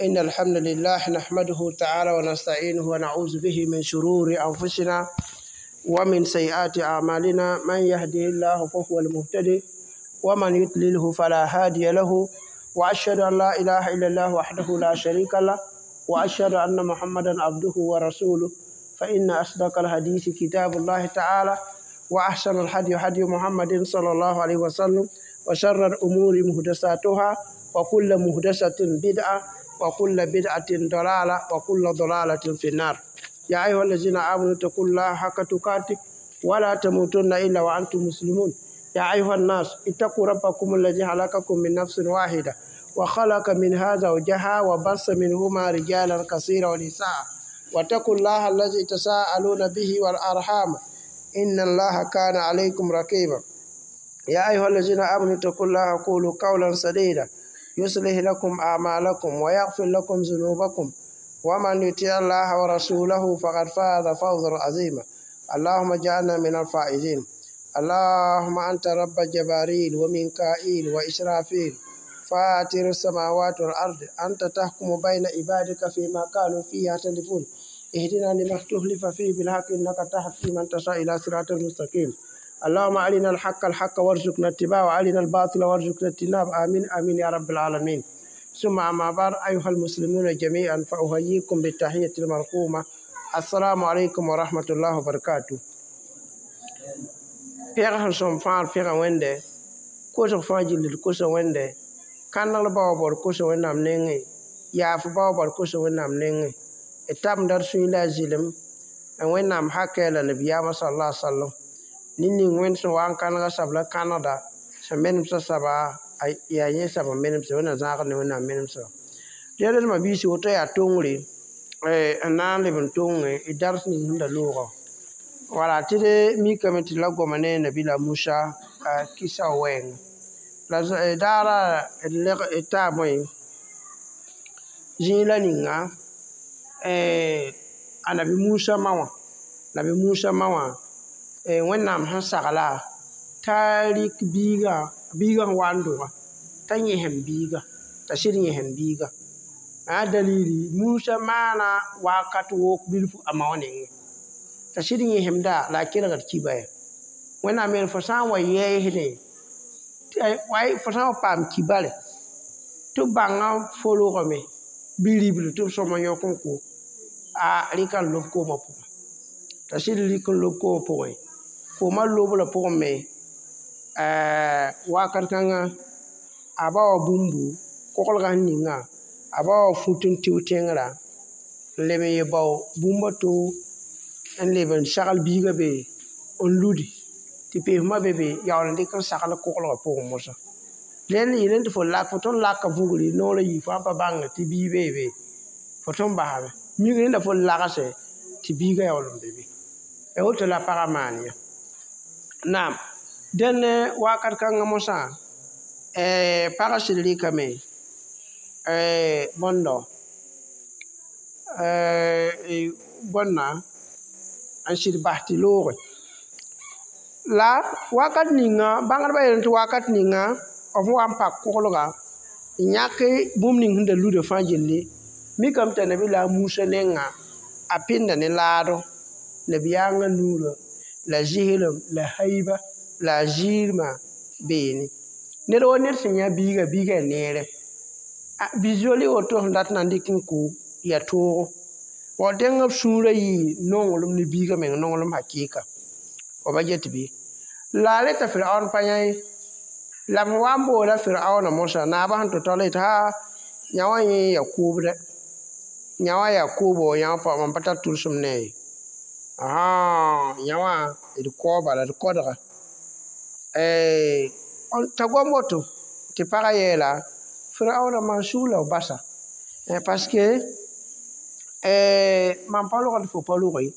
إن الحمد لله نحمده تعالى ونستعينه ونعوذ به من شرور أنفسنا ومن سيئات أعمالنا. من يهده الله فهو المهتدي ومن يضلله فلا هادي له، وأشهد أن لا إله إلا الله وحده لا شريك له، وأشهد أن محمدا عبده ورسوله. فإن أصدق الحديث كتاب الله تعالى، وأحسن الهدي هدي محمد صلى الله عليه وسلم، وشر الأمور محدثاتها، وكل محدثة بدعة، وكل بدعة ضلالة، وكل ضلالة في النار. يا أيها الذين آمنوا اتقوا الله حق تقاته ولا تموتن إلا وأنتم مسلمون. يا أيها الناس اتقوا ربكم الذي خلقكم من نفس واحدة، وخلق منها زوجها، وبث منهما رجالا كثيرا ونساء، واتقوا الله الذي تساءلون به والأرحام إن الله كان عليكم رقيبا. يا أيها الذين آمنوا اتقوا الله وقولوا قولا سديدا يصلح لكم أعمالكم ويغفر لكم ذنوبكم، ومن يطع الله ورسوله فقد فاز فوزا عظيما. اللهم اجعلنا من الفائزين. اللهم أنت رب جباريل وميكائيل وإسرافيل، فاطر السماوات والأرض، أنت تحكم بين عبادك فيما كانوا فيه يختلفون. اهدنا لما اختلف فيه بالحق إنك تهدي من تشاء إلى صراط مستقيم. اللهم أرنا الحق الحق وارزقنا اتباعه، وأرنا الباطل وارزقنا اجتنابه. آمين آمين يا رب العالمين. ثم أما بعد، أيها المسلمون جميعا، فأحييكم بالتحية المرحومة: السلام عليكم ورحمة الله وبركاته. Pɛgã sẽn sõm fãa pẽga Wẽnde, kosg fãa gilli d kosa Wẽnde, kãnegl bao baood kosa Wẽnnaam nengẽ, yaaf bao baood kosa Wẽnnaam nengẽ, d tabmda d sũyẽ la a zɩlem n Wẽnnaam hakɛ la nabiyaamã sal la sallam. Ned ning Wẽnd sẽn wa n kãnega sabla kãnegda sẽn menemsã saba yaa yẽ sab n menemsã Wẽnnaam zãagd ne Wẽnnaam menemsã. Rẽd d mabiisi woto yaa tongre n na n leb n tong d dars ning sẽn da loogã. Wala tɩ d mikame tɩ la goma ne Nabila Musa kisa wɛɛngã. La daara d leg d taa bõe zĩig la ninga a Nabi Musa ma wã, Nabi Musa ma wã, Wẽnnaam sẽn sagla t'a rɩk biigã, biigã sẽn wa n dʋga t'a yẽsem biiga, t'a sɩd yẽsem biiga. A dalili Musa maana wakat wok bilfu a ma wã nengẽ t'a sɩd yẽsemda la a kelgd kiba ya. Wẽnnaam yeel fo sã n wa yɛɛsdẽ, fo sã n wa paam kibare tɩ b bãngã fo rogame bɩ ribl tɩ b sõm n yõk n ko a rɩka n lob koomã pʋgẽ. T'a sɩd rɩk n lob koomã pʋgẽ, koomã lobra pʋgẽ me wakat kãngã a ba wa bũmbu koglgã sẽn ninga, a ba wa fut n tɩ tẽngrã n leb n ye bao bũmb a to n leb n sagl biigã be n ludi tɩ peesmã be be yaool n dɩk n sagl koglgã pʋgẽ mosã. Rẽnd yɩl tɩ fo lak fo tõnd laka vugri noor a yi fo sãn pa bãng tɩ bii bee be fo tõnd basame mik rẽnda fo lagse tɩ biigã yaool n be be. Ya woto la pagã maan yã. Naam, dẽn wakat kãngã mosã pagã sɩd rɩkame bõndo bõnna n sɩd bas tɩ looge. La wakat ninga bãngdbã yeelame tɩ wakat ninga b wa n pak koglga n yãk bũmb ning sẽn da luda fãa gilli mikame t'a Nabila Musa nengã a pɩnda ne laado nabiyaangã nuurã la zɩslem la haiba la a ziirmã beene. Ned wa ned sẽn yã biigã, biigã yaa neere. Bi-zoali woto sẽn dat n na n dɩk n kʋ yaa toogo. Wa dẽng b sũurã yɩ nonglem ne biigã meng nonglem hakɩɩka. Wa ba get bɩ. La a reta Firaon pa yã ye. La b wa n boola Firaoonã mosã naabã sẽn tɩ tao la yetɩ haa yã wã yẽ yaa kʋʋbdɛ. Yã wã yaa kʋʋbo, yã wã pa mam pa tar tʋlsem ne a ye. Yã wã d kao bala d kodga. T'a gom woto tɩ pagã yeela Firaoonã maan sug la b basa parce que mam pa rogd fo pa roge.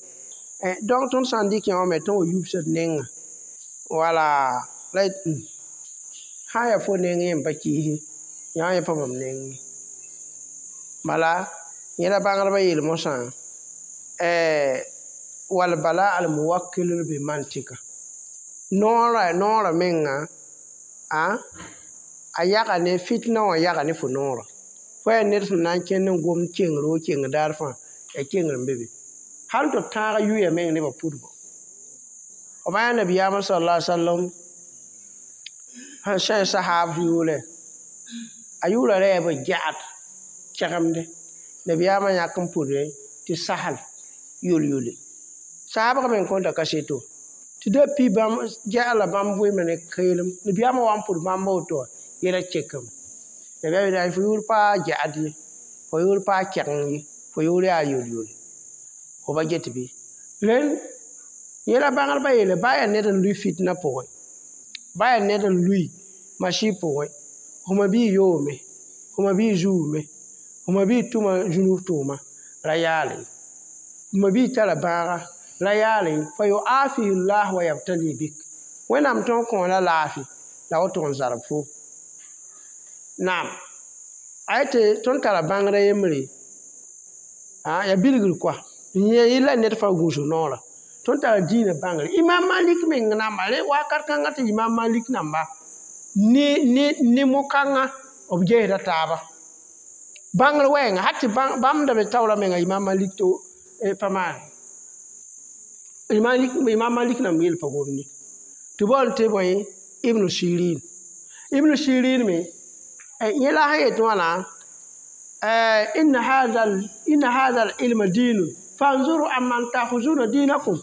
Donc tõnd sã n dɩk yã wã me tõnd wa yubsd nengã. Wala la sã n yaa fo neng yẽ n pa kiisi yã wã yẽ pa mam neng ye. Bala yẽ la bãngdbã yeel mosã wal bala al muwakkil bi mantika. Noorã noorã menga a yaga ne fitna wã yaga ne fo noorã. Fo yaa ned sẽn na n kẽnd n gomd kengr wo kengr daar fãa, yaa kengr n be be. Hal tɩ tãag yuya meng nebã pʋdgo. B yaa nabiyaamã sallallahu alaihi wasallam sẽn sã sahaab yʋʋrɛ, a yʋʋra reeb gɛgd kɛgemde. Nabiyaamã yãk n pʋdẽ tɩ sahal yol-yole. Sahabg me n kõta kaseto. Tɩ da pi bãmb gɛgd la bãmb vɩɩmã ne keelem. Nabiyaamã wa n pʋd bãmb woto wã, yɛla kekame. Nabiyaam yeela fo yʋʋr pa gɛgd ye, fo yʋʋr pa kɛgeng ye, fo yʋʋr yaa yol-yole. Fo ba get bɩ. Rẽnd yẽla bãngdbã yeele ba yaa ned n lʋɩ fitna pʋgẽ, ba yaa ned n lʋɩ masi pʋgẽ, fo ma bii yoome, fo ma bii zuume, fo ma bii tʋma zũnug tʋʋma ra yaale. Fo ma bii tara bãaga ra yaale. Fa yuafihi llah wa yabtali bik. Wẽnnaam tõog kõ la laafɩ la woto n zarb fo. Naam, a yetɩ tõnd tara bãngrã yembre, yaa bilgr koa. Yẽ la ned fãa gũusg noorã. Tõnd tara dĩinã bãngre. Imam Malik meng namba, rẽ wakat kãngã tɩ Imam Malik namba ne mo-kãngã b gesda taaba. Bãngr wɛɛnga, hal tɩ bãmb da be taoorã menga Imam Malik to pa maane. Imam Malik namba yel pa gomd ye. Tɩ baool tɩ bõe Ibn Sirin. Ibn Sirin me, yẽ la sẽn yet wãna, inna hadha al-ilma dinun fanzuru amman ta'khuzuna dinakum.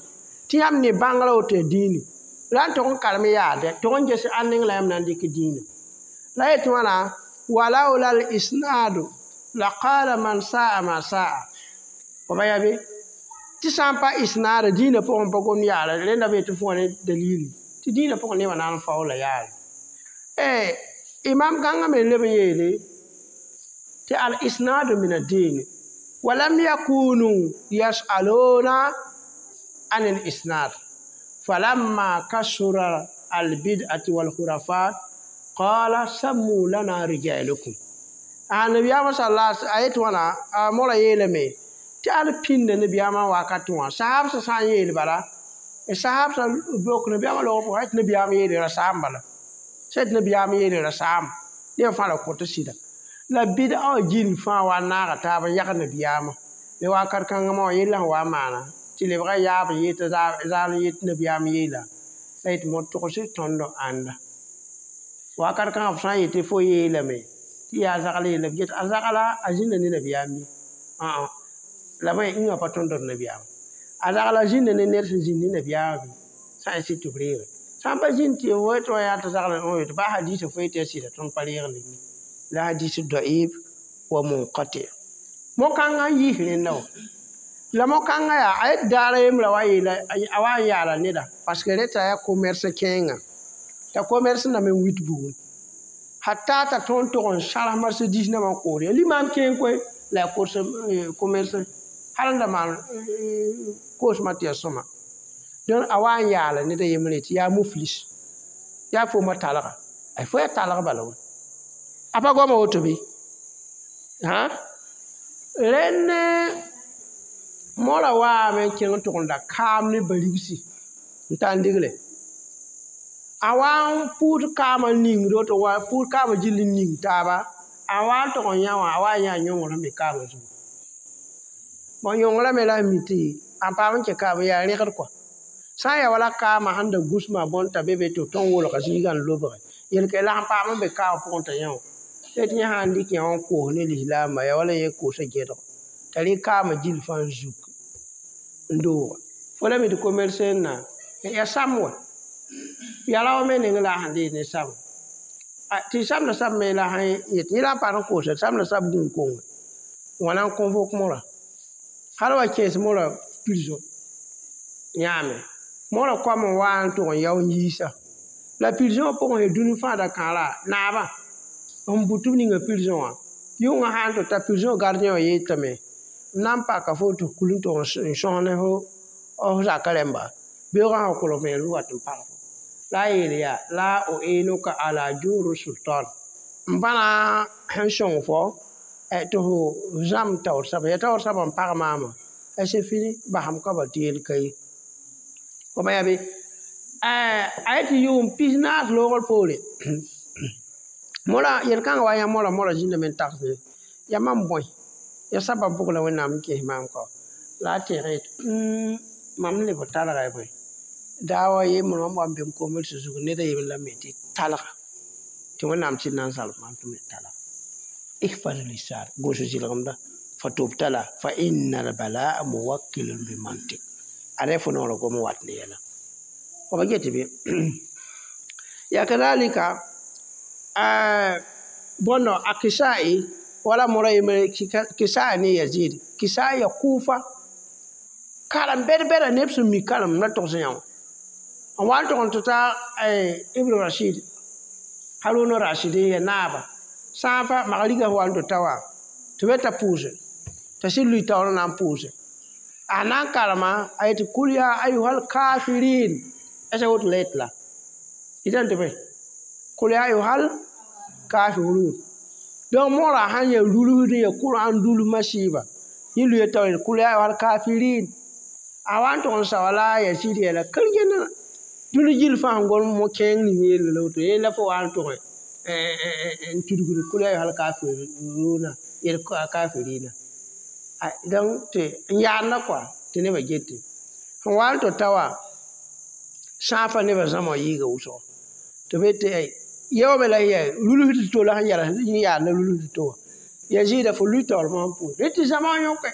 Tɩ yãmb ne bãngrã woto yaa dĩini. La n tog n karem yaade, tog n ges ãnd neng la yãmb na n dɩk dĩinã. La yet wãna, walaula al-isnadu laqala man sa'a ma sa'a. Fo ba yaa be? Tɩ sã n pa isnaada dĩinã pʋgẽ pa gomd yaara, rẽnda be tɩ fo wã ne dalili. Tɩ dĩinã pʋgẽ nebã na n faoola yaare. Imam kãngã me leb n yeele tɩ al-isnadu min ad-dini wa lam yakunu yas'aluna an al-isnad falamma kasura al-bid'ati wal-khurafat qala sammu lana rijalukum. A nabiyaamã sallallahu a yet wãna, a mora yeelame tɩ al pĩnda nabiyaamã wakat wã sahabsã sã n yeel bala, sahabsã bok nabiyaamã log pʋgã tɩ nabiyaam yeele ra saam bala. Sã tɩ nabiyaam yeele ra saam nebã fãa ra kõt sɩda. La bɩd'a wã gill fãa wa n naaga taab n yag nabiyaamã. Ne wakat kãngã wã yella sẽn wa n maana tɩ lebga yaab n yet zaal n yet nabiyaam yeela la yetɩ mo togs tõnd ãnda. Wakat kãngã b sã n yetɩ fo yeelame tɩ yaa zagl yeela b get a zagla a zĩnda ne nabiyaam bɩ? La bõe yĩngã pa tõnd d nabiyaam. A zagla zĩnda ne ned sẽn zĩnd ne nabiyaamã bɩ? Sã n sɩd tɩ b reege. Sã n pa zĩnd tɩ fo tɩ wã yaa tɩ zagl n ba hadiisã fo yetɩ yaa sɩda tõnd pa reegl ye. La hadis da'if wa munqati. Mo-kãngã n yiis rẽnda wã. La mo-kãngã yaa a yet daara yembrã wa yeela a wa n yaala neda parce que rẽ t'a yaa commerce kẽengã. T'a commerce na me n wit bugum. Hatta t'a tõnd tog n sãrs marchandise nambã n kood. Yaa limaam kẽeng koe la yaa kos commerce hal n da maan koosmã tɩ yaa sõma. Donc a wa n yaala ned a yembre tɩ yaa muflis. Yaa fo ma talga. A fo yaa talg bala wã. A pa goama woto bɩ? Rẽnd mora waame n kẽng n tʋg n da kaam ne barigsi n tar n digle. A wa n pʋʋs kaamã ningd woto wa pʋʋs kaamã gill n ning taaba, a wa n tʋg n yã wã a wa n yã yõngr sẽn be kaamã zugu. Bon yõngrã me la mi tɩ a paam n kẽ kaam yaa rẽgd kɔa. Sã n yaa wala kaamã sẽn da gũsmã bõn t'a be be tɩ b tõnd wolga zĩigã n lobge, yel-kɛ la sẽn paam n be kaamã pʋgẽ t'a yã wã. Tɩ yẽ sã n dɩk yã wã n koos ne lislaambã yaa wala yẽ koosa gẽdg t'a rɩk kaamã gill fãa n zuk n dooga. Fo la mi tɩ commerce n na yaa sam wã. Yaa rao me neng la sẽn deed ne sam. Tɩ samda sab me la sẽn yet yẽ la n paam n koosa samda sab gũun-konge wãna n convoque morã. Hal wa kẽes morã prison yãame. Morã koam n wa n tʋg n yao n yiisa. La prison pʋgẽ sẽn dũni fãa da kãara naabã n bʋ tɩ b ninga prison wã. Yʋngã sã n tɩ ta prison gardien wã yeetame m na n paka fo tɩ f kul n tʋg n sõs ne fo zakã rẽmba beoogã sã kolg vẽenem n wat n pag fo. La a yeel yaa la u'inuka ala juri sultan. M bãna sẽn sõng fo tɩ fo zãmb taoor soaba yaa taoor soaba n pag maamã c'est fini basam ka ba tɩ yel ka ye. Fo ma yaa bɩ? A yetɩ yʋʋm 14 loogr poore mora yel-kãngã wa yã mora mora zĩndame n tagsde Yaa mam bõe ya sabab pʋg la Wẽnnaam n kes maam kɔ la a tẽeg yetɩ mam leb talga y bõe daawa yembr mam wa n be m kombd zug ned a yembr la me tɩ talga tɩ Wẽnnaam sɩd na n zalb maam tɩ m le talga ihfaz lisan gũus zɩlgemda fa tubtala fa inna albalaa muwakkilun bimantik ada fo noorã gom n wat ne yɛla b get bɩ ya kadalika bõndo a Kisai wala mora yembre Kisai ne Yazid Kisai ya Kufa karem bɛd-bɛda neb sẽn mi karem la togs yã wã n wa n tog n tɩ ta Ibn Rashid Harun Rashid n ya naaba sã n fa mag rigã wa n tɩ ta wã tɩ be t'a pʋʋse t'a sɩd lui taoor n na n pʋʋse a na n karema a yetɩ kul ya ayuhal kafirin esa woto la yet la yetame tɩ bõe kul ya ayuhal kafirun donc moorã sãn ya rulsd n ya Kur'an rulsmã sɩɩba yẽ luya taoor yetɩ kul ya ayuhal kafirin a wa n tog n saoa la a Yazid yeela kar-gẽnda dũni gill fãa sẽn gom mo-kẽeng ning yella la woto yẽ la fo wa n tʋgẽ n tudgd kul ya ayuhal kafiruna yel kafirina donc tɩ n yaadna kɔa tɩ nebã gete sẽn wa n tɩ ta wã sã n fa nebã zãma wã yɩɩga wʋsgo tɩ b yetɩ yaoome la ya rulsd to la sẽn yɛls yẽ yaadna rulsd to wã Yazida fo lui taoor mosã pʋʋs rẽ tɩ zãma wã yõke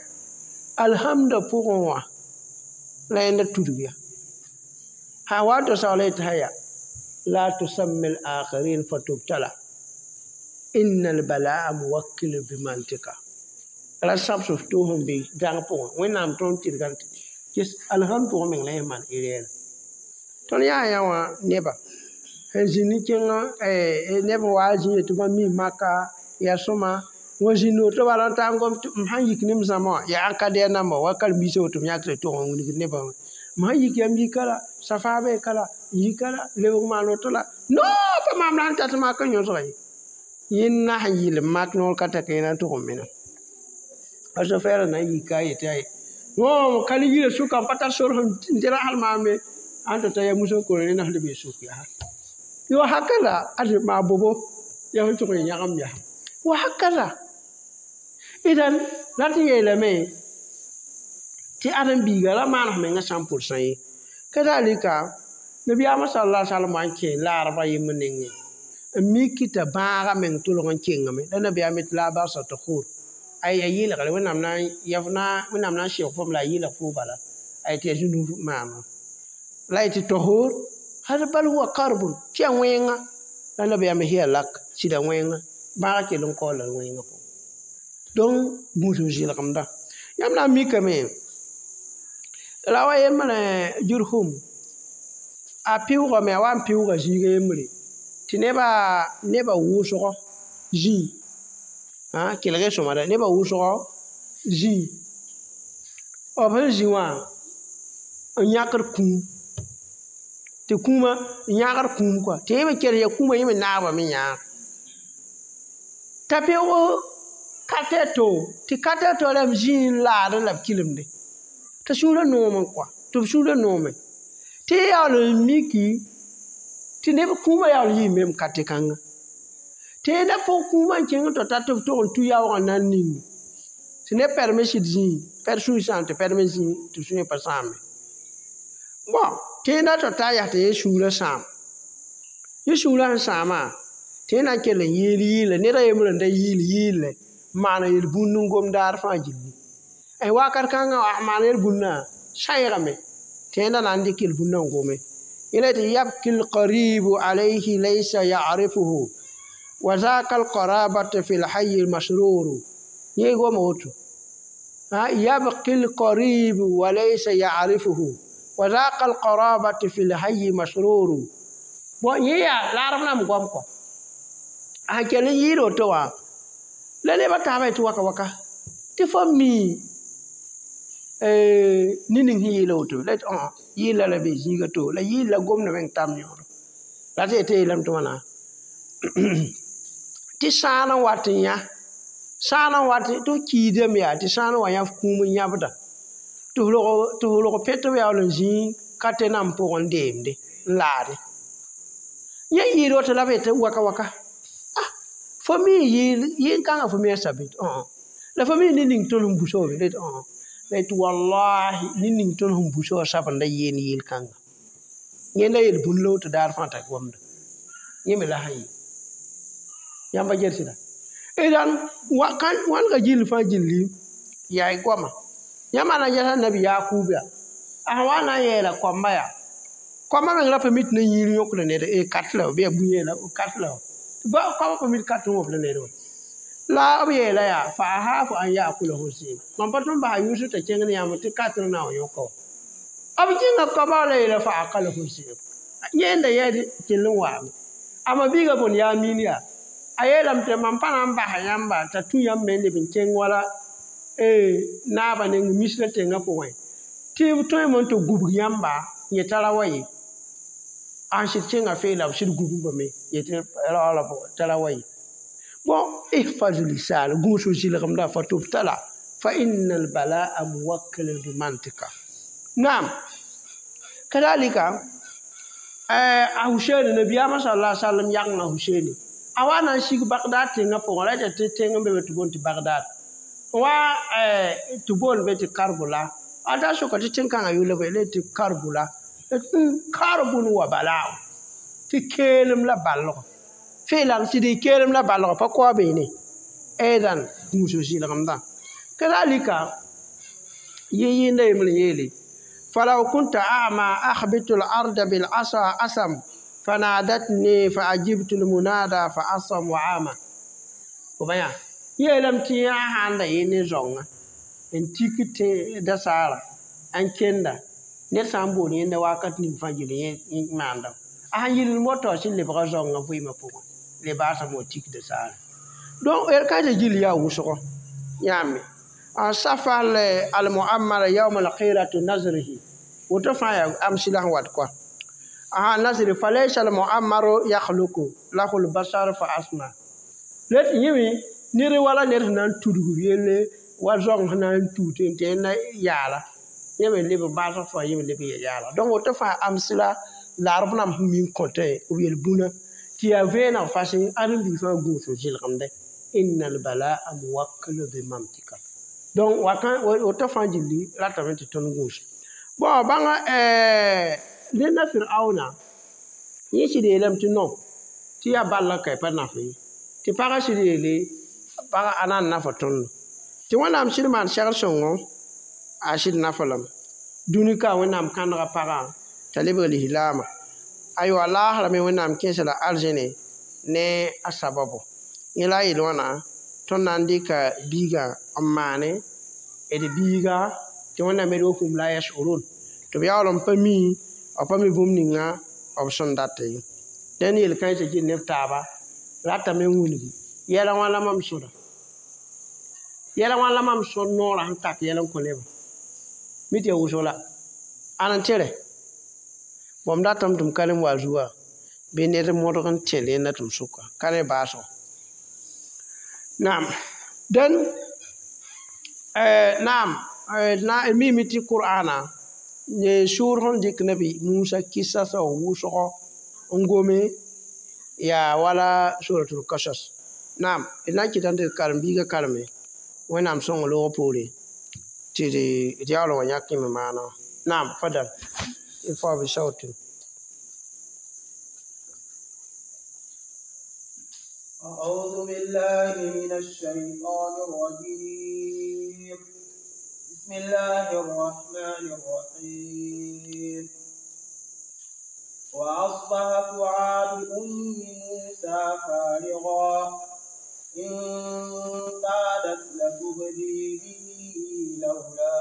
alhamda pʋgẽ wã la yẽnda tudg ya sã wa n tɩ saoola yetɩ haya la tusammi al-akhirin fatubtala inna al-balaa muwakkil bimantika ra sãbs f tʋʋs n be dãng pʋgẽ Wẽnnaam tõnd tɩrgã tɩ ges alhamd pʋgẽ meng la yẽ maan erɛɛra tõnd yaa yã wã neba sẽn zĩnd ne kẽngã neb wa zĩ tɩ bãmb mi maka yaa sõma wã zĩnd woto bala n taa n gom tɩ m sãn yik ne m zãma wã yaa ãn ka dɛɛ namba wa karen-biisã woto m yãkd tʋg n wilgd nebã wã m sãn yik yam yika la safa bee ka la n yika la lebg maan woto la no pa maam la sẽn tat mak n yõsga ye yẽnda sẽn yɩl mak noor ka tak yẽ na n tʋg n mena a sofɛɛrã na n yika a yetɩ aye wõ ka le yirã sʋka n pa tar sor sẽn dɩra hal maam ye ãn tɩ ta ya mus n kor rẽnd sẽn leb n suk yaa yo hakada ade maa bobo ya sẽn tʋg n yãgem yaa wa hakada idan la tɩ yeelame tɩ ãdem-biiga ra maan f mengã sã n pʋlsã ye kadalika nabiyaamã sallallahu alaihi wasallam wa n kẽ laarba yembr nengẽ n miki t'a bãagã meng tʋlg n kengame la nabiyaam tɩ la barsa tɩ khur ay a yɩlgre Wẽnnaam na Wẽnnaam na n sɩg fom la a yɩlg fo bala ay tɩ ya zũnu maama la y tɩ tahur hada bal huwa karbun tɩ ya wẽnga la nabiyaam hiya lak sɩda wẽnga bãagã kell n kaoola wẽngã pʋgẽ donc gũus n zɩlgemda yãmb na n mikame la wa yembre Jurhum a pɩʋʋgame a wa n pɩʋʋga zĩiga yembre tɩ neba wʋsgɔ zĩig kelg sõmada nebã wʋsgɔ zĩig b sẽn zĩ wã n yãkd kũum tɩ kũumã n yãagd kũum kɔa tɩ yẽ me kels ya kũumã yẽ me naabame yãag t'a pɩʋʋg katɛto tɩ katɛto rãmb zĩig n laadẽ la b kilemde t'a sũurã noome kɔa tɩ b sũurã noome tɩ y yaool n miki tɩ neb kũumã yaool n yɩ mem kate kãnga tɩ yẽnda pʋg kũumã n kẽng tɩ ta tɩ b tʋg n tu yaoogã na n ning tɩ neb pɛrem sɩd zĩig pɛd sũy sãam tɩ pɛrem zĩig tɩ sũyã pa sãame bɔn tɩ yẽnda tɩ ta yaa tɩ yẽ sũurã sãam yẽ sũurã sẽn sãamã tɩ yẽ na n kell n yɩɩl yɩɩle ned a yembrã n da yɩɩl yɩɩle n maan yel-bũnd n gom daar fãa gilli wakat kãngã a maan yel-bũndã sãeegame tɩ yẽnda na n dɩk yel-bũndã n gome yẽla tɩ yabki lqaribu alayhi laysa ya'rifuhu wa zaka alqarabatu fi lhayi lmasruru yẽ goma woto yabki lqaribu wa laysa ya'rifuhu wa zaka alqarabatu fi lhayi masruru bon yẽ yaa laarb nam goam kɔ a sẽn kell n yɩɩd woto wã la nebã taabã tɩ waka waka tɩ fo mi ne ning sẽn yɩɩla woto la tɩ yɩɩla la be zĩiga to la yɩɩla gomdã meng tam yõodo la tɩ yetɩ yeelame tɩ wãna tɩ sãan n wat n yã sãan n wat tɩ f kiidame yaa tɩ sãan n wa yã f kũum n yãbda tɩ f rog pet b yaool n zĩig ka tɩ nam pʋgẽ n deemde n laade yẽ yɩɩd woto la b yetɩ waka waka Fo mi yɩ kãngã fo mi a sabit la fo mi ne ning tõnd sẽn busa wa be la tɩ wallahi ne ning tõnd sẽn busa wã sabenda yeen yeel kãnga yẽnda yel bũn la woto daar fãa t'a gomda yẽ me la sẽn yɩ yãmba gel sɩda idan wãnega gill fãa gilli yaa y goama yãmba na n yɛsa nabi Yakub yaa a sẽn wa na n yeela koamba yaa koamba meng ra pa mi tɩ na yĩir yõkda ned kat la bɩ yaa bũn la kat la koamba pa mi tɩ kat n wõbda ned wã la b yeela yaa fa ahaafu an yaakulahu zib mam pa tõnd basa Yusuf t'a kẽng ne yãmb tɩ kat n na n yõka wã b kẽnga koamba la yeela fa akalahu zib yẽnda yɛɛd kell n waame a ma biiga bõn yaa miin yaa a yeelame tɩ mam pa na n basa yãmba t'a tũ yãmb me n leb n kẽng wala naabã neng misrã tẽngã pʋgẽ tɩ b tõeme n tɩ gubg yãmba yẽ tara wa ye a sɩd kẽnga fee la b sɩd gubgame yetɩ raoora tara wa ye bon ihfaz lisan gũus zɩlgemda fa tubtala fa inna albalaa muwakkalun bimantika naam kadalika a Huseeni nabiyaamã sala sallam yagengã Huseeni a wa na n sig Bagdad tẽngã pʋgẽ ra tɩ tẽng n be be tɩ boond tɩ Bagdad wa tɩ boond be tɩ Karbula a da soka tɩ tẽn-kãngã yʋl bɩ le tɩ Karbula karbun wa balao tɩ keelem la balgo feelam tɩ dɩ keelem la balgo pa koa beene ɛɛdan gũus zɩlgemdã kadalika yɩ-yɩnda yembr n yeele falaw kunta a'ma akhbitu al-arda bil asa asam فنادتني فأجبت المنادى فأصم وعاما وبيا yeelame tɩ yã sãn da yɩ ne zaoongã n tik tɩ dasaara n kenda ned sã n bool yẽnda wakat ning fãa gill yẽ maanda a sẽn yɩl moto sẽn lebga zaoongã vɩɩmã pʋgẽ le baasame wa tik dasaara donc d kãensã gill yaa wʋsgo yãame safa al-muammara yawm al-qiratu nazrihi woto fãa yaa amsɩla sẽn wat koa aha nasri falaysa al-muammaru yakhluqu lahu al-basar fa asma let yĩme ned wala ned sẽn na n tudg yelle wa zaong sẽn na n tuut n tɩ na yaala yẽ me leb n baasg fãa yẽ me leb n ya yaala donc woto fãa amsɩla la b nam sẽn mi n kõtẽ b yel-bũna tɩ yaa vẽeneg fasẽ ãdem-biig fãa gũus n zɩlgemdẽ inna albalaa muwakkalu bimantika donc woto fãa gilli ratame tɩ tõnd gũus bon bãnga ned Firauna yẽ sɩd yeelame tɩ non tɩ yaa balla ka pa naf ye tɩ pagã sɩd yeele pagã a na n nafa tõndo tɩ Wẽnnaam sɩd maan segr sõngo a sɩd nafa lame dũni ka Wẽnnaam kãnega pagã t'a lebg lislaamã aywa laasra me Wẽnnaam kẽesa la arzẽne ne a sababo yẽ la a yel wãna tõnd na n dɩka biigã n maane d biiga tɩ Wẽnnaam yel wa hum la yashurun tɩ b yaool n pa mi b pa mi bũmb ninga b sẽn data ye dẽnd yel-kãensã gil neb taaba ratame n wilgi yɛla wã la mam sõda yɛla wã la mam sõd noorã sẽn tak yɛl n kõ nebã mi tɩ yaa wʋsg la ãn n tẽre bõmb datame tɩ m ka le n wa a zuga bɩ ned modg n tẽl yẽnda tɩ m sʋka ka ne baasgo naam dẽn naam d miime tɩ Qur'ana ne sʋʋr sẽn dɩk nabi Musa kɩsa sao wʋsgo n gome yaa wala suratul Qasas naam d na n kɩtame tɩ d karen-biigã kareme Wẽnnaam sõng loog poore tɩ d yaool n wa yãk yẽme maana naam fadal irfa bi sautin. أعوذ بالله من الشيطان الرجيم بسم الله الرحمن الرحيم وأصبح فؤاد أم موسى فارغا إن كادت لتبدي به لولا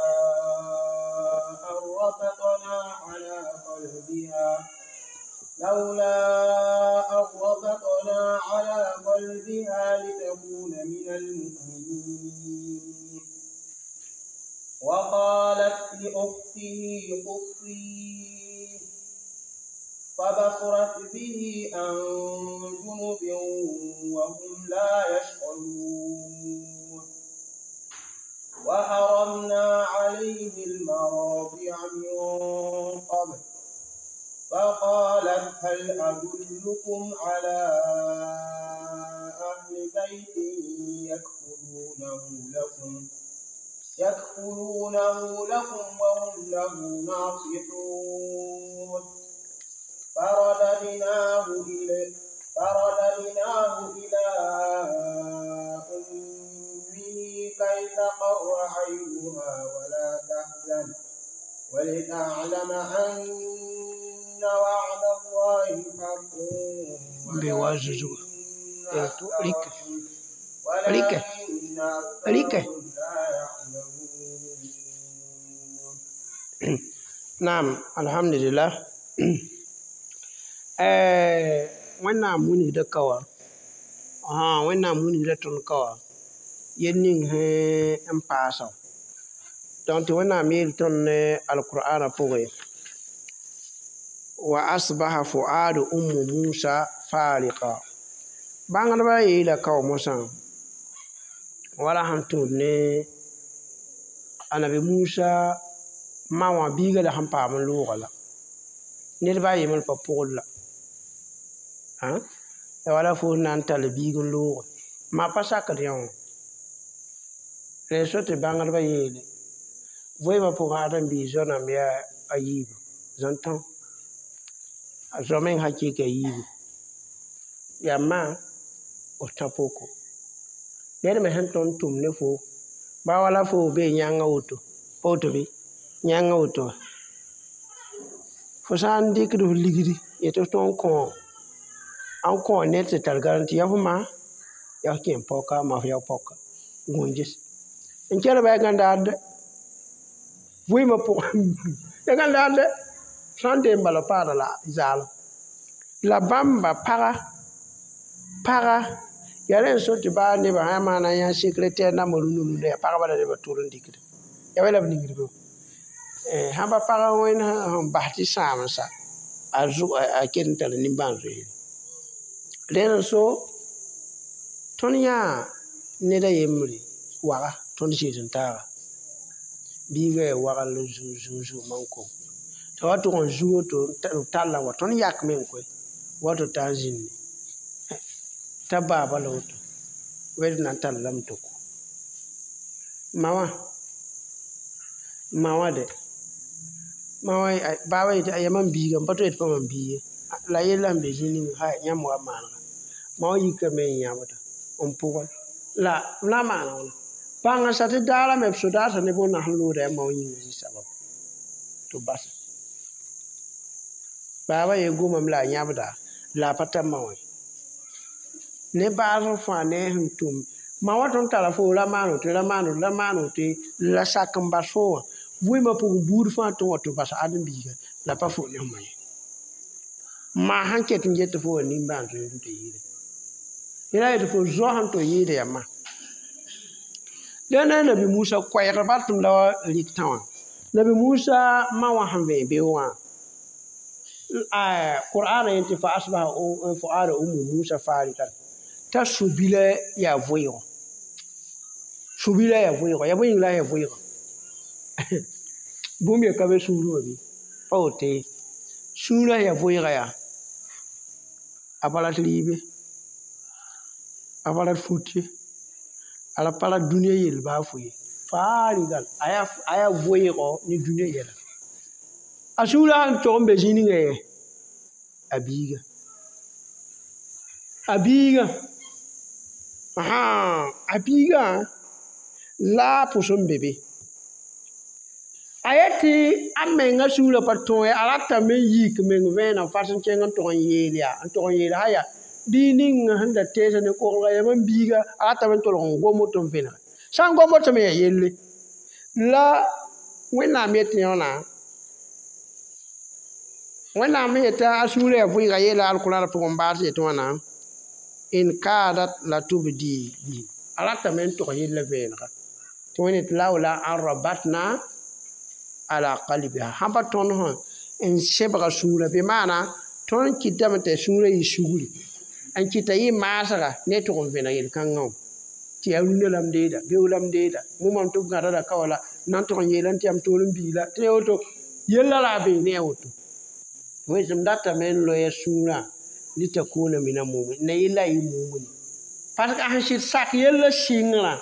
أن ربطنا على قلبها لولا أن ربطنا على قلبها لتكون من المؤمنين. وقالت لأخته قصيه فبصرت به عن جنب وهم لا يشعرون. وحرمنا عليه المراضع من قبل فقالت هل أدلكم على أهل يكفلونه لكم وهم له ناصحون. فرددناه إلى أمه كي تقر عينها ولا تحزن ولتعلم أن وعد الله حق ولكن أكثرهم لا يعلمون. نعم الحمد لله. Wẽnnaam wilgda ka wã wẽnnaam wilgda tõnd ka wã yel ning sẽn n paasa donc tɩ wẽnnaam yeel tõnd ne alqur'ana pʋgẽ wa asbaha fuadu ummu musa fariqa bãngdbã yeela ka wã mosã wala sẽn tũud ne anabi Musa ma wã biiga la sẽn paam n loogã la ned ba yembr pa pʋgd la ya wala fo na n tall biig n looge ma pa sakd yã wã rẽ so tɩ bãngdbã yeele voeemã pʋgẽ ãdem-biis zoa-nãmb yaa a yiibu zãn-tão a zoa meng hakɩɩka yiibu yaa ma f tã poko ned me sẽn tõnd tʋm ne fo ba wala fo bee yãngã woto pa woto bɩ yãngã woto fo sã n dɩkd f ligdi yetɩ f tõe n kõ n kõ ned tɩ tar garanti yaa fo ma yaa f kẽ paoka ma f yao paoka gõnges n kelba yaa gãndaadde vɩɩmã pʋgẽ ya gãndaadde sã n dee n bala paada la zaalem la bãmba paga yaa rẽ n so tɩ baa nebã sã maana yã secrétaire nambã rũndã rũndã yaa pagba la nebã tʋr n dɩkda yaa wɛ la b ningd be sãn pa pag wẽnd sẽn bas tɩ sãamsa a ket n tar nimbãan-zoeere rẽnd n so tõnd yãa ned a yembre waga tõnd zɩɩd n taaga biiga yaa wagl zuu zuu zuu man-kom t'a wa tʋg n zu woto b talla wa tõnd yakme n koe wato t'a n zĩnne t'a baaba la woto wɛd na n tall lame tɩ kʋ ma wã de ma wã baaba yetɩ yaa mam biiga m pa tɩ yetɩ pa mam biig ye la yella sẽn be zĩig ninga hay yãmb wa maanega ma wã yikame n yãbda n pʋgẽ la b na n maana wãna bãng n sa tɩ daara me b sodaasã ne bõnda sẽn loogda yaa ma wã yĩnga zĩ sabab tɩ b basa baaba ye gomame la a yãbda la a pa tar ma wã ye ne baasg fãa ne a sẽn tʋm ma wã tõnd tara fo ra maan woto ra maan woto ra maan woto la sak n bas fo wã vɩɩmã pʋgẽ buud fãa tɩ wa tɩ bas ãdem-biiga la pa fo ne fõma ye maa sẽn ket n get tɩ fo wa nimbãan-zoeer n tɩ yɩɩde yẽla yetɩ fo zoa sẽn tɩ yɩɩda yaa ma dẽnda nabi Musa koɛɛg ba tɩ m la wa rɩk tã wã nabi Musa ma wã sẽn vẽ beoogã wã Qur'ana yẽ tɩ fa asbaha fuada ummu Musa farigan t'a su-bila yaa vʋɩɩgo su-bila yaa vʋɩɩgo yaa bõe yĩng la yaa vʋɩɩgo bũmb ya ka be sũurẽ wã bɩ pa woto ye sũurã yaa vʋɩɩga yaa a pa rat rɩɩb ye a pa rat fut ye a ra pa rat dũniyã yell baa fo ye faarigal a yaa vʋɩɩgo ne dũniyã yɛla a sũurã sẽn tog n be zĩ ninga ye a biiga a biiga a biigã la a pʋs n be be a yetɩ a menga sũurã pa tõe a ratame n yik meng vẽeneg fas n kẽng n tog n yeel yaa n tog n yeel sã yaa bii ning sẽn da teesã ne koglga yaa mam biiga a ratame n tolg n gom woto n vẽnege sã n gom woto me yaa yelle la wẽnnaam yetɩ yõna wẽnnaam yeta a sũurã yaa vʋɩɩga yeela alkurãn pʋgẽ n baas yetɩ wãna in kadat la tubdi bihi a ratame n tog yella vẽenega tɩ wẽnd tɩ laola an rabatna ala qalbiha sãn pa tõnd sẽn n sebga sũurã bɩ maana tõnd kɩtame tɩ sũurã yɩ sugri n kɩta yɩ maasga ne tʋg n vẽneg yel-kãngã wã tɩ yaa rũndã la m deeda beoog la m deeda mumam tɩ b gãda la ka wala n na n tʋg n yeela tɩ yaa m toor n biila tɩ yaa woto yella la a bee ne a woto wẽnsem datame n loɛɛ sũurã litakuna mina mumin na yella a yɩ mumini parce que a sẽn sɩd sak yella sɩngrã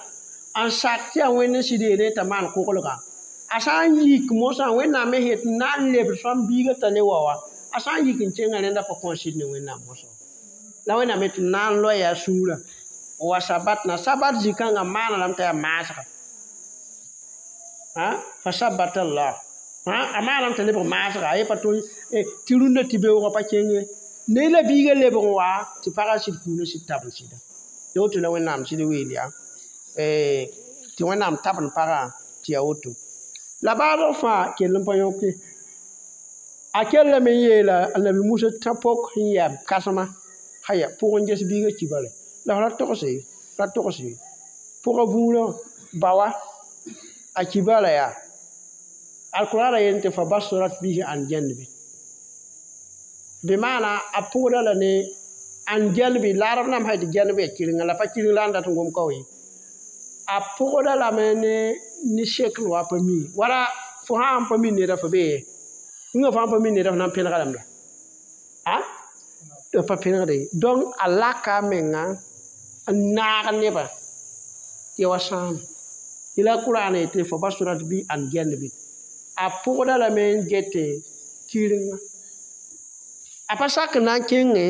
N sak tɩ yaa Wẽnd n sɩd yeelẽ t'a maan koglgã. A sã n yik mosã Wẽnnaam me yet n na n lebd sõm biigã t'a ne wa wã, a sã n yik n kẽngã rẽnda pa kõn sɩd ne Wẽnnaam mosã. La Wẽnnaam yetɩ n na n loɛɛ a sũurã wa sabatna sabat zĩ-kãngã maana lame t'a yaa maasga. Fa sabata Allah. A maaname t'a lebg maasga, a ye pa tõe tɩ rũndã tɩ beoogã pa kẽng ye. Ne la biigã lebg n wa tɩ pagã sɩd kũunã sɩd tab n sɩda. Tɩ woto la Wẽnnaam sɩd weel yaa tɩ Wẽnnaam tabend pagã tɩ yaa woto. La baasg fãa kell n pa yõke. A kellame n yeela a Nabi Musa tã pok sẽn yaa kãsema aya pʋgẽ n ges biigã kibare. La f ra togse, ra togse. Pʋgã vũurã baoa a kibara yaa. Alqur'ana yel tɩ fa basurat bihi an janbi. Bɩ maana a pʋgda la ne an janbi la arab nãmb sã tɩ janb yaa kɩrenga la pa kɩreng la n dat n gom ka ye. A pʋgda lame ne sekl wa pa mi wala fo sã n pa mi neda fo bee ye. Yĩngã fãa pa mi neda fo na n pẽnega lame la. D pa pẽnegde ye. Donc a laka a menga n naag nebã tɩ ya wa sãame. La Qur'an yetɩ fa basurat bi an janbi. A pʋgda lame n gete kɩrenga. A pa sak n na n kẽngẽ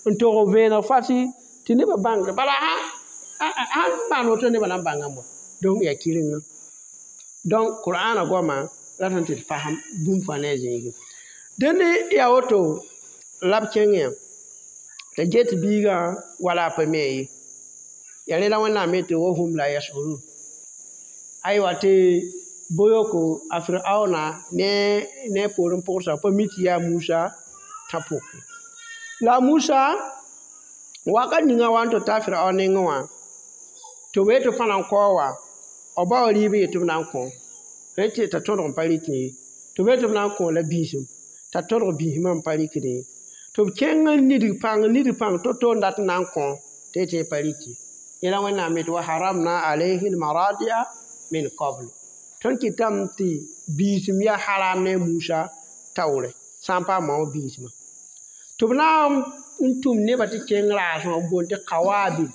n tog vẽeneg fasi tɩ nebã bãngd bala sãn maan woto nebã na n bãngame wa. Donc yaa kɩrenga. Donc Qur'ana goamã ratame tɩ d fasem bũmb fãa ne a zĩigẽ. Dẽnd yaa woto la b kẽng yã t'a get biigã wala a pa mi ye. Yaa rẽ la Wẽnnaam yetɩ wa hum la yashurun. Aywa tɩ boyoko a Firaona ne poorẽ pʋgsa pa mi tɩ yaa Musa tã pʋke. La Musa wakat ninga wa n tɩ ta Firaon nengẽ wã tɩ b yetɩ pa na n kao wa b bao rɩɩb n yetɩ b na n kõ rẽ tɩ t'a tõdg n pa rɩk ye. Tɩ b yetɩ b na n kõ la biisem t'a tõdg biismã n pa rɩkd ye. Tɩ b kẽng n nidg pãng to-to n dat n na n kõ tɩ yetɩ pa rɩk ye. Yẽla Wẽnnaam yetɩ wa haramna alayhi lmaradia min qabl. Tõnd kɩtame tɩ biisem yaa haram ne Musa taoore sã n paam wã biismã. Tɩ b na n tʋm nebã tɩ kẽng raasẽ n boond tɩ kawabil.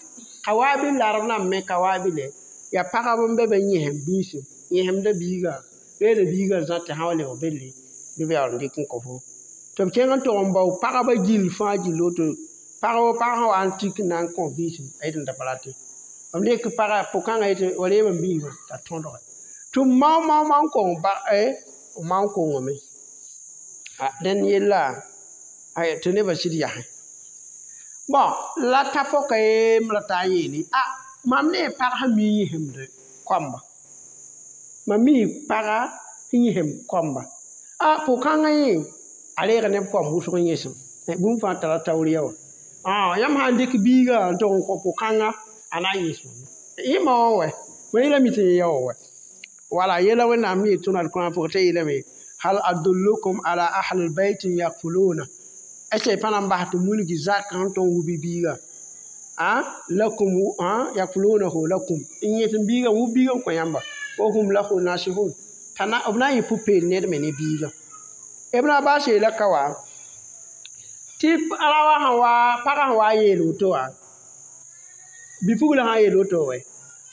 Kawabil la arab nãmb me kawabile yaa pagb n be be yẽsem biisem yẽsemda biigã reeda biigã zã tɩ sã wa lebg belle bɩ b yaool n dɩk n kõ fo. Tɩ b kẽng n tog n bao pagba gill fãa gill woto pagb pag sã wa n tik n na n kõ biisem a yetɩ n da pa rate. B lek pagã pʋg-kãngã yetɩ wa reem n biismã t'a tõdge. Tɩ b mao mao mao n kong ba mao n kongame. Dẽnd yella tɩ nebã sɩd yasẽ. Bon la tã pɔka yeem ra taa n yeele mam ne pag sẽn mi yẽsemd koamba. Mam mi paga sẽn yẽsem koamba. Pʋg-kãngã yẽ a reega neb koam wʋsg n yẽsem. Bũmb fãa tara taoor ya wã. Yãmb sã n dɩk biigã n tog n kõ pʋg-kãngã a na n yẽsem. Yẽ ma wã wɛ, ma yẽla mi tɩ yẽ ya wã wɛ. Wala yẽla Wẽnnaam me yet tõnd Alkurãn pʋgẽ t'a yeelame hal adullukum ala ahli lbayt yakfuluna. Est-ce que pa na n bas tɩ wilg zakã sẽn tõe n wub biigã? Lakum yakfulunahu lakum. N yẽsem biigã wub biigã n kõ yãmba. Wa hum lahu nasihun. T'a na b na n yɩ pʋ-peel ned me ne biigã. Ibn Abbas yeela ka wa tɩ raoã sẽn wa pagã sẽn wa n yeel woto wã bi-puglã sã n yeel woto wɛ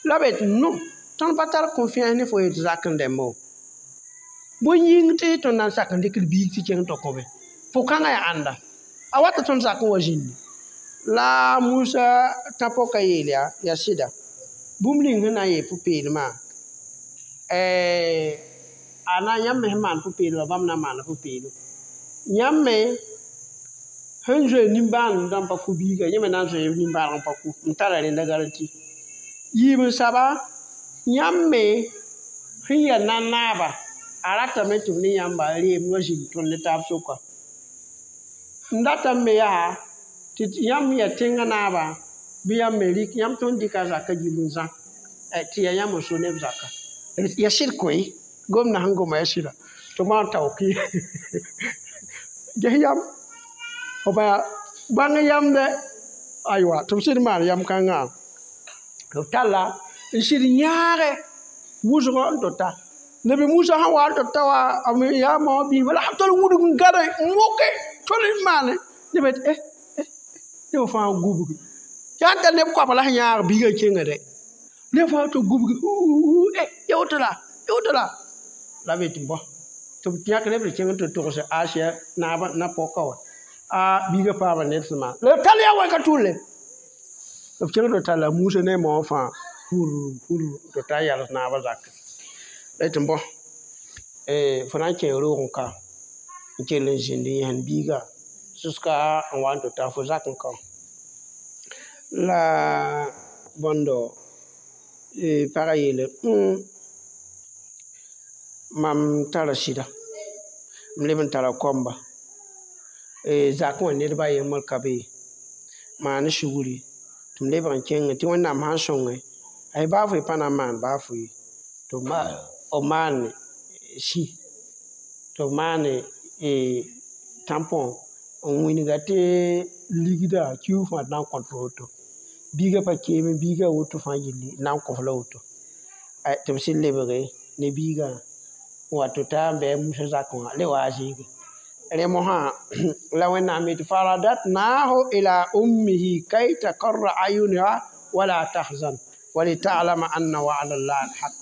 la b yetɩ no tõnd pa tar confiance ne fo yetɩ zak n dẽmbo. Bõe yĩng tɩ tõnd na n sak n dɩk d biig tɩ kẽng tɩ kõbe. Pʋg-kãngã yaa ãnda a wata tõnd sak n wa zĩndi. La Musa tã pɔka yeel yaa yaa sɩda bũmb ning sẽn na n yeel pʋ-peelmã a na yãmb me sẽn maan pʋ-peelmã bãmb na n maana pʋ-peelem. Yãmb me sẽn zoe nimbãan dãmb pa kʋ biiga yẽ me na n zoe nimbãaneg n pa kʋ n tara rẽnda garanti. Yiib n saba yãmb me sẽn yaa nan-naaba a ratame tɩ b ne yãmba reem wa zĩnd tõnd ne taab soka. N datame me yaa tɩ yãmb yaa tẽngã naaba bɩ yãmb me rɩk yãmb tõnd dɩka zakã gill n zã tɩ yaa yãmb n so neb zakã. Yaa sɩd koe gomdã sẽn goma yaa sɩda tɩ maan taook ye. Ges yam f bãng yamdɛ aywa tɩ b sɩd maan yam kãngã tɩ b talla n sɩd yãage wʋsgɔ n tɩ ta. Nabi Musa sẽn wa n tɩ ta wa yaa mao biismã la sã tol wudg n gãde n wʋke tol n maane neb yetɩ neb fãa gubgi. Yaa n tar neb koapa la sẽn yãag biigã kẽnga dɛ. Ne fãa tɩ gubgi ya woto la ya woto la b yetɩ bõ tɩ b yãk neb tɩ kẽng tɩ togse Asiya naabã na-pɔka wã a biigã paama ned sẽn maan la b tall yaa wã ka tʋlle b kẽng tɩ talla Musa ne a ma wã fãa pur pur tɩ ta yals naabã zakẽ la yetɩ bõ fo na n kẽ roog n ka n kell n zĩnd n yẽsend biigã jusqu'à n wa n tɩ ta fo zak n ka la bõndo pagã yeele mam tara sɩda m leb n tara koamba zakẽ wã ned ba a yembr ka be maan sugri tɩ m lebg n kẽngẽ tɩ Wẽnnaam sãn sõnge ay baa fo y pa na n maan baa fo ye tɩ b maan sĩ tɩ b maan tãmpõ n wĩnga tɩ ligda kiuug fãa tɩ na n kõt fo woto biigã pa keeme biigã woto fãa yilli n na n kõ-f la woto tɩ b sɩd lebge ne biigã n wa tɩ ta n bɩ a Musa zakẽ wã le wa a zĩige rẽ mosã la Wẽnnaam yetɩ faradatnahu ila ummihi kay takarra ayunuha wala tahzan walitalama anna wa'da llahi alhaq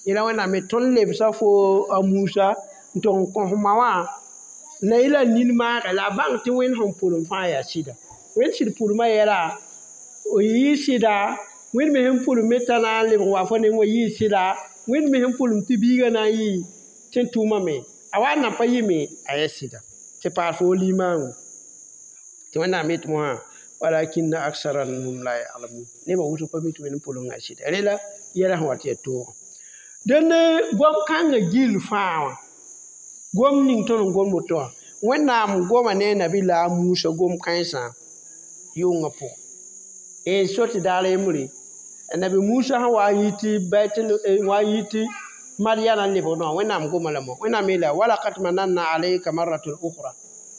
yẽla Wẽnnaam yetɩ tõnd lebsa fo a Musa n tʋg n kõs ma wã la y la nin maage la a bãng tɩ Wẽnd sẽn pʋlem fãa yaa sɩda Wẽnd sɩd pʋlmã yɛla yɩ sɩda Wẽnd me sẽn pʋlem me t'a na n lebg wa fo neng wa yɩ sɩda Wẽnd me sẽn pʋlem tɩ biigã na n yɩ tɩ n tʋʋmame a wa n na pa yɩme a yaa sɩda tɩ paas fo limaango tɩ Wẽnnaam yetɩ mosã walakinna aksarahum la ya'lamun nebã wʋsg pa mi tɩ Wẽnd n pʋlengã sɩda rela yɛla sẽn wa tɩ yaa toogã dẽnd gom-kãngã gill fãa wã gom ning tõnd n gom woto wã Wẽnnaam goma ne a nabi-la a Musa gom-kãensã yʋngã pʋgẽ so tɩ daar yembre nabi Musa sẽn wa n yɩ tɩ baitul wa n yɩ tɩ Madyana n lebg noã Wẽnnaam goma lame Wẽnnaam yeela walaqad mananna alayka marratun ukhra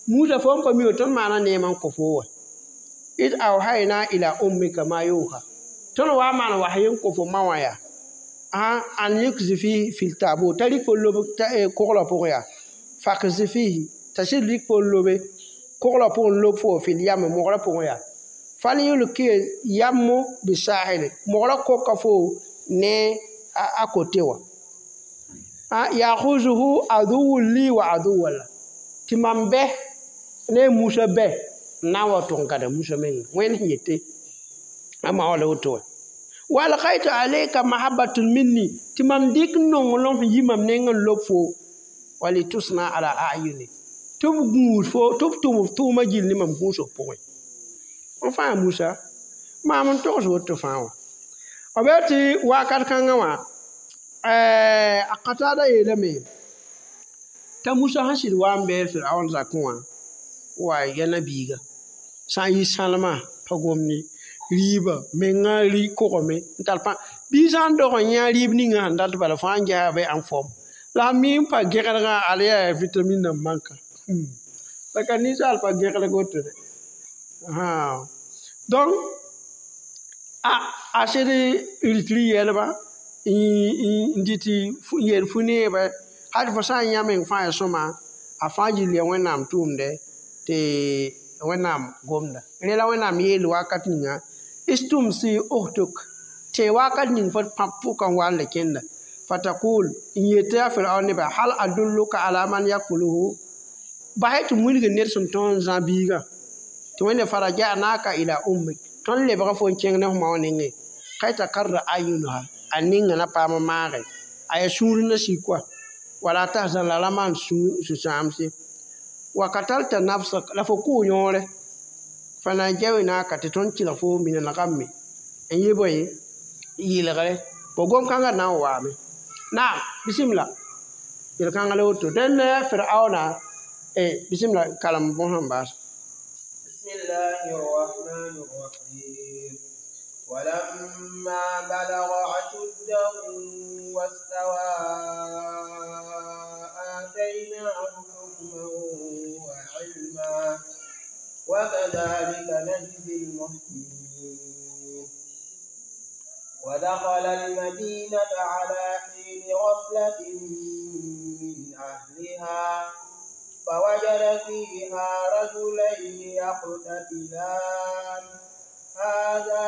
Musa fo n pa mi wa tõnd maana neem n kõ fo wa id awhayna ila ummika ma yuha tõnd wa n maan wasy n kõ fo ma wã yaa an yukzi fihi fil tabut t'a rɩk fo lob koglã pʋgẽ yaa fakzi fihi t'a sɩd rɩk fo n lobe koglã pʋgẽ n lob fo fil yam mogrã pʋgẽ yaa falyulki yammu bisahili mogrã koka fo ne a kote wã yahuzuhu aduwun li wa aduwun la tɩ mam bɛ ne Musa bɛ n na n wa tʋg n gãda Musa menga Wẽnd sẽn yete a ma wã la woto wã wa alkaytu alayka mahabbatun minni tɩ mam dɩk nonglem sẽn yi mam neng n lob fo walitusna ala ayuni tɩ b gũus fo tɩ b tʋm f tʋʋmã gill ne mam gũusg pʋgẽ n fãa Musa maam n togs woto fãa wã b yaa tɩ wakat kãngã wã a Qatada yeelame t'a Musa sẽn sɩd wa n bɩ Firaun zakẽ wã wa ya na-biiga sã n yɩ sãlmã pa gomne rɩɩbã mengã rɩ kogame n tar pãng bɩ sã n dog n yã rɩɩb ninga sẽn dat bala fãa n ges be n fom la a mi n pa gẽgdgã al yaa vitamine nan manka la ka ninsaal pa gẽgdg woto de donc a sẽd rɩt rɩ-yɛlba n dɩt n yeel fu-neebã hal fo sã n yã meng fãa ya sõma a fãa gill yaa Wẽnnaam tʋʋmdɛ tɩ Wẽnnaam gomda rẽ la Wẽnnaam yeel wakat ninga istumsi uhtuk tɩ wakat ning fo pãb pʋka n wa n le kẽnda fatakul n yetɩ a Firaun nebã hal adulluka ala man yakuluhu basɛ tɩ m wilg ned sẽn tõog n zã biigã tɩ Wẽnde farajanaka ila ummik tõnd lebga fo n kẽng ne f ma wã nengẽ kay takarra ayunuha a ninga na paam n maage a yaa sũur na sik wa wala tahzan la ra maan sũ-sãamse wa katalta nafsak la fo kʋʋ yõore fa najjaynaka tɩ tõnd kɩlg fo min al-ghammi n yɩ bõe yɩlgre bo gom-kãngã na n waame naam bisimla yel-kãngã la woto dẽnd Firauna bisimla kalem bõsã n baas بسم الله الرحمن الرحيم ولما بلغ أشده واستوى آتيناه حكما وعلما وكذلك نجزي المحسنين ودخل المدينة على حين غفلة من أهلها فوجد فيها رجلين يقتتلان هذا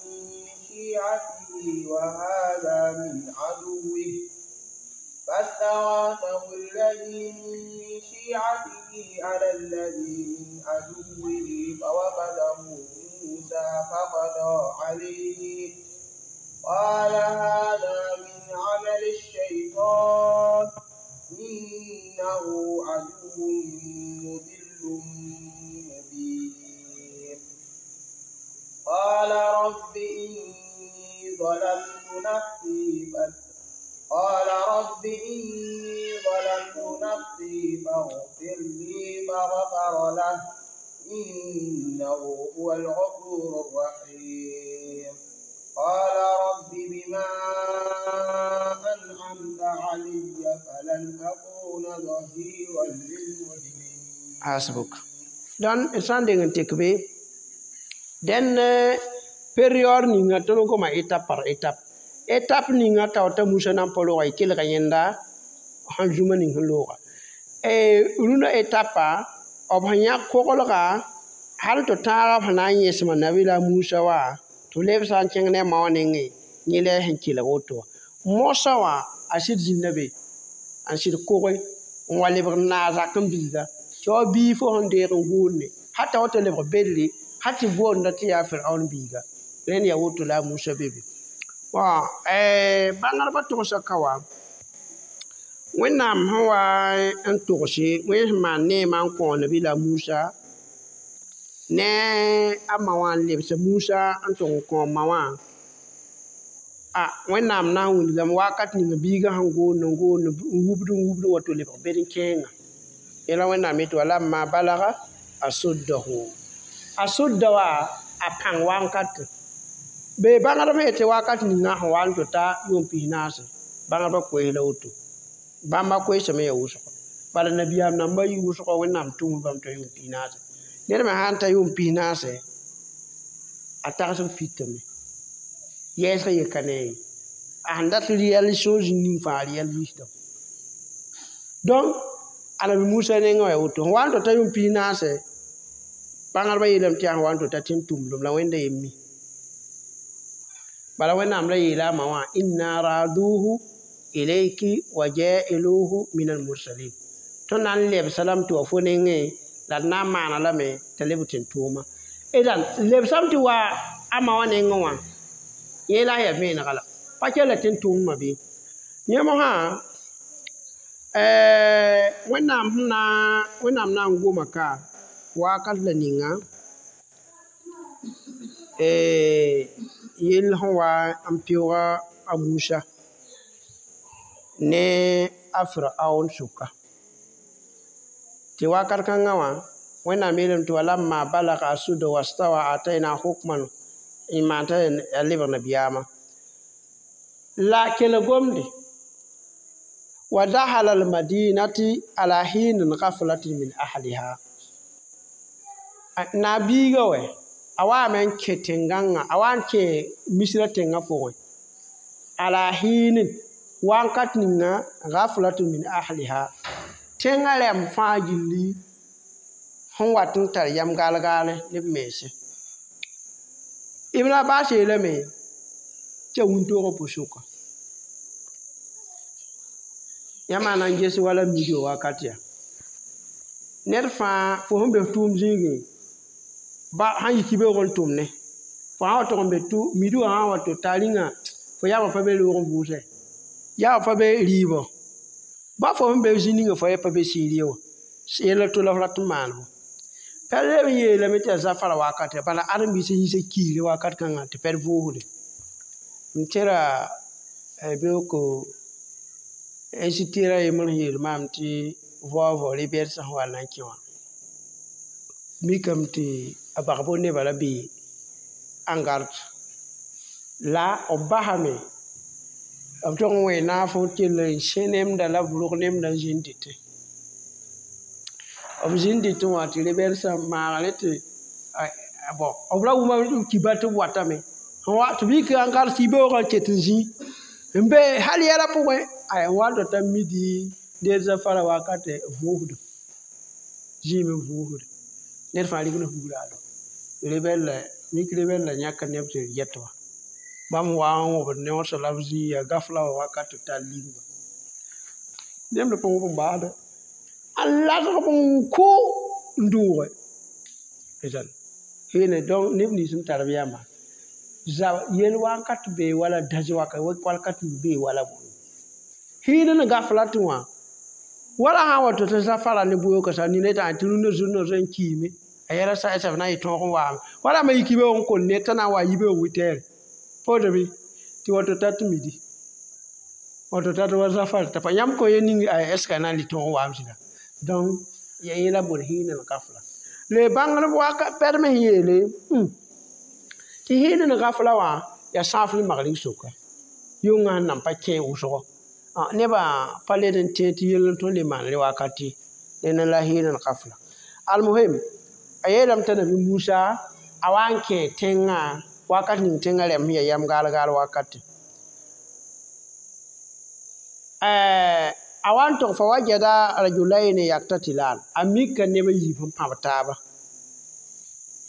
من شيعته وهذا من عدوه فاستغاثه الذي من شيعته على الذي من عدوه فوكزه موسى فقضى عليه قال هذا من عمل الشيطان إنه عدو مضل مبين قال رب إني ظلمت نفسي قال رب إني ظلمت نفسي فاغفر لي فغفر له إنه هو الغفور الرحيم قال رب بما أنعمت علي فلن أكون ظهيرا للمجرمين Hasbuk. Dãn d sã n deng n tek be dẽn période ninga tõnd n goma étape par étape. Étape ninga tao t'a Musa na n pa looga y kelga yẽnda sẽn zũma ning sẽn looga. Rũndã étape b sẽn yãk koglga hal tɩ tãagã b sẽn na n yẽsma Nabila Musa wã tɩ b leb sã n kẽng ne a ma wã nengẽ yẽ la sẽn kelg woto wã. Mosa wã a sɩd zĩnda be n sɩd koge n wa lebg n naag zak n bilga tɩ wa bii fo sẽn deeg n gʋʋnde hal t'a wa tɩ lebg bedre hal tɩ boonda tɩ yaa Firaun biiga rẽnd yaa woto la a Musa be be. Bõn bãngdbã togsa ka wã Wẽnnaam sẽn wa n togse wẽn sẽn maan neemã n kõ Nabila Musa ne a ma wã n lebs Musa n tʋg n kõ ma wã a Wẽnnaam na n wilgame wakat ninga biigã sẽn gʋʋnd n gʋʋnd n wubd n wubd wa tɩ lebg bed n kẽenga yẽla Wẽnnaam yetɩ walamma balaga asuddahu asudda wã a pãng wankate be bãngdb sẽn yetɩ wakat ninga sẽn wa n tɩ ta yʋʋm pis-naase bãngdbã koees la woto bãmba koeesame yaa wʋsgo bala nabiyaam namba yɩ wʋsgo Wẽnnaam tʋm bãmb t'a yʋʋm pis-naase ned me sã n ta yʋʋm pis-naase a tagsg pitame yɛɛsg yeka ne ye a sẽn dat rɩyɛl soo zĩig ning fãa rɩyɛl wisdom donc Anabi Musa nengẽ wã yaa woto sẽn wa n tɩ ta yʋʋm pis-naase bãngdbã yeelame tɩ yaa sẽn wa n tɩ ta tẽn-tʋmdem la Wẽnda yem mi bala Wẽnnaam la yeela a ma wã inna raduhu ilayki wa ja'iluhu min al-mursalin tõnd na n lebsa lame tɩ wa fo nengẽ la d na n maana lame t'a leb tẽn-tʋʋma d lebsame tɩ wa a ma wã nengẽ wã yẽ la a yaa vẽenega la pa kell la tẽn-tʋʋmdmã bɩ yẽ mosã Wẽnnaam sẽn na Wẽnnaam na n goma ka wakat la ninga yell sẽn wa n pɩʋʋga a Musa ne a Firaun sʋka tɩ wakat kãngã wã Wẽnnaam yeelame tɩ walamma balaga asudda wastawa atayna hukman n maan t'a a lebg nabiyaamã la kelg gomde wa dahala almadinati ala hinin gaflatin min ahliha na biiga wɛ a waame n kẽ tẽn-gãngã a wa n kẽ misrã tẽngã pʋgẽ ala hinin wakat ninga gaflatun min ahliha tẽngã rɛm fãa gilli sẽn wat n tar yam gaal-gaale ne b mense Ibn Abbas yeelame tɩ a wĩntoogã pʋ-sʋka yãmb na n ges wala mido wakat yaa ned fãa fo sẽn be tʋʋm zĩigẽ ba sãn yik beoog n tʋm ne fo sã wa tʋg n be midu wã sã n wa tɩ ta rĩnga fo yaabã pa be roog n vʋʋsɛ yaabã pa be rɩɩbɔ ba fo sẽn be zĩ ninga fo pa be sɩɩr ye wã yella to la f rat n maanebo pɛd leb n yeelame tɩ yaa zafara wakate bala ãdem-biisã yiisa kiire wakat kãngã tɩ pɛd vʋʋsde n tẽra beooko institut a yembr sẽn yeel maam tɩ vaoog rɩ-bɛd sẽn wa na n kẽ wã mikame tɩ a bagbo nebã la bee en garde la b basame b tog n wẽ naaf n kell n sẽ nemda la b rog nemda n zĩnd dɩtẽ b zĩnd dɩtẽ wã tɩ rɩ-bɛdsã maagre tɩ bon b ra wʋma kiba tɩ b watame sẽn wa tɩ b yik en garde tɩ beoogã n ket n zĩ n be hal yɛla pʋgẽ ay n wa n tɩ ta midi deed zafara wakate vʋʋsd zĩim n vʋʋsd ned fãa rigd fugraado rebɛl la mik rebɛl la yãk neb tɩ yɛt wã Bãmb wa n wõbd ne wã la b zĩ ya gafla wã wakat tɩ tar ligba nemd pa wõb n baasda a lasg n kʋ n dʋʋge heene donc neb nins n tar b yãmba zab yel wakat bee wala dãs wakat bee wala bõe hiid n gafla tɩ wã wala sã n wa tɩ zafara ne bʋyooka sa nina t'a tɩ rũndã zũnã zoe n kiime a yɛla sa b na n yɩ tõog n waame wala ma yik yibeoog n kol ned t'a na n wa yibeoog witɛɛre pʋʋdbɩ tɩ wato tat midi wato tat wa zafar t'a pa yãmb kõ ye ning est ce que a na n lɩ tõog n waam sɩda donc ya yẽla bor hiin n gafla le bãngr waka pɛdem sẽn yeele tɩ hiin n gafla wã yaa sãaf ne magrig soka yʋngã sẽn nan pa kẽ wʋsgo nebã pa led n tẽ tɩ yell n tõe n le maan re wakati ned la hiin n gafla almuhim a yeelame t'a nabi Musa a wa n kẽ tẽngã wakat ning tẽngã rɛm sẽn yaa yam gaal gaal wakati a wa n tog fa wajada rajulayni yaktatilan a mika neb a yiib sẽn pãb taaba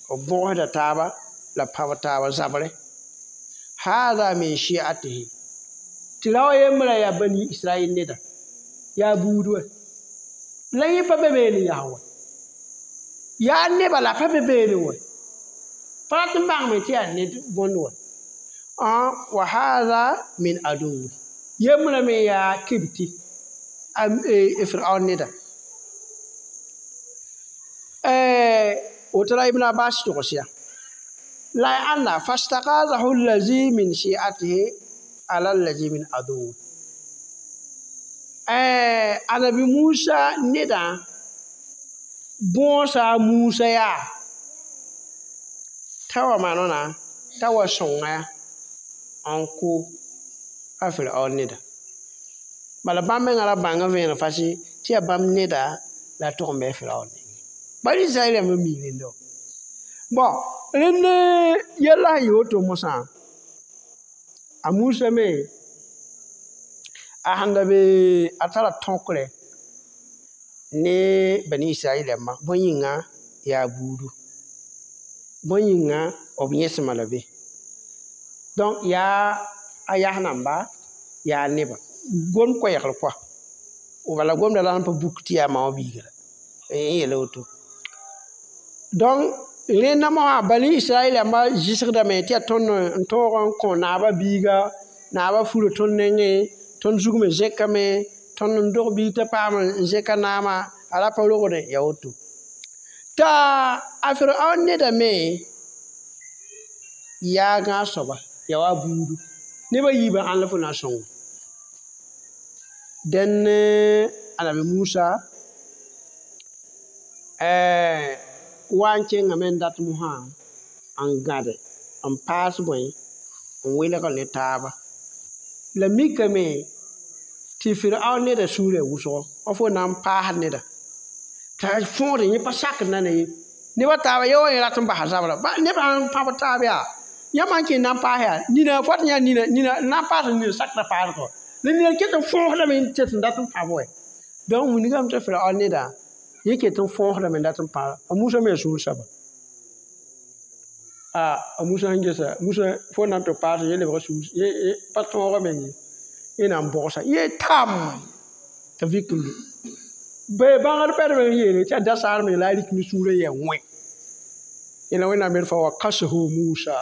b bõgsda taaba la pãb taaba zabre hada min shi'atihi tɩ ra wa yembra yaa bani israel neda yaa buud wɛ la yẽ pa be beene yaa wɛ yaa neba la pa be beene wɛ pa rat n bãngme tɩ yaa ned bõnd wɛ wa hada min aduwi yembra me yaa kibti Fir'aun neda woto la Ibn Abbas togsya la y ãnna fastagazahu allazi min shi'atihi ala allazi min aduwi anabi Musa neda bõosa Musa yaa t'a wa maanona t'a wa sõnga n kʋ a Fir'aun neda bala bãmb mengã ra bãng n vẽeneg fasɩ tɩ yaa bãmb neda la tʋg n bɩ Fir'aun nengẽ bala Israɛl rãmbã mii rẽnda bɔn rẽnd yɛlla sẽn yɩ woto mosã a Musa me a sẽn da be a tara tõkre ne bani Israɛl rãmba bõe yĩnga yaa buudu bõe yĩnga b yẽsma la be donc yaa a yas namba yaa neba gom koɛɛgr kɔa bala gomda la n pa buk tɩ yaa ma wã biiga la n yeela woto donc rẽnda mosã bani Israɛl rãmba zɩsgdame tɩ yaa tõnd n tõog n kõ naabã biiga naabã fura tõnd nengẽ tõnd zug me zẽkame tõnd n dog biig t'a paam n zẽka naamã a ra pa rogdẽ yaa woto t'a a Firaun neda me yaa gãag soaba yaa wa buudu nebã yiibã ãn la fo na n sõngo dẽn anabi Musa wa n kẽngame n dat mosã n gãde n paas bõe n welg ne taaba la mikame tɩ Firaun neda sũurã wʋsgo wa fo na n paasd neda t'a fõosd yẽ pa sakd na ne ye nebã taaba ye wa yẽ rat n basa zabra nebã n pãb taab yaa yãmb sãn kẽ na n paas yaa nina fo tɩ yã nina nina na n paasd nina sakda paasgɔ la nina ket n fõosdame n tet n dat n pãb wɛ donc wilgame t'a Firaun neda yẽ ket n fõosdame n dat n pãb a Musa me sũur saba a Musa sẽn gesa Musa fo na n tɩ paas yẽ lebg sũur pa tõoga meng ye yẽ na n bogsa yẽ tam t'a vik n lu bee bãngd pɛdem n yeele tɩ yaa dasaar meng la a rik ne sũurã yɛ wẽ yẽla Wẽnnaam yel fa wa kasahu Musa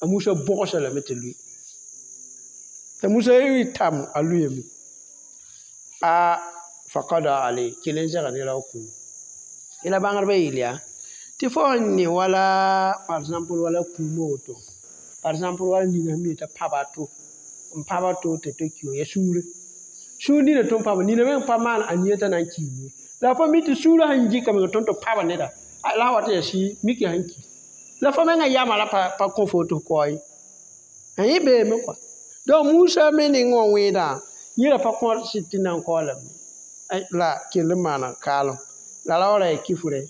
a Musa bogsa lame tɩ lʋɩ t'a Musa yɩ tam a lʋyame a faqada alay kell n zɛga ne rao kũum yẽla bãngdbã yeel yaa tɩ fo sẽn ne wala par exemple wala kũumã woto par exemple wala nina sẽn mi t'a pãba to n pãba to tɩ to ki ya sũurẽ sũur nina tõnd pãba nina meng pa maan a nia t'a na n kiime la fa mi tɩ sũurã sẽn gɩka meng tõnd tɩ pãba neda la wa tɩ yaa sɩ miki sẽn ki la fo mengã yama la pa kõ fo tɩ f kao ye yẽ beeme kɔa donc Musa me ning wã wẽedã yẽ ra pa kõ sɩd tɩ na n kao lame la kell n maana kaalem la ra wa ra yaa kifre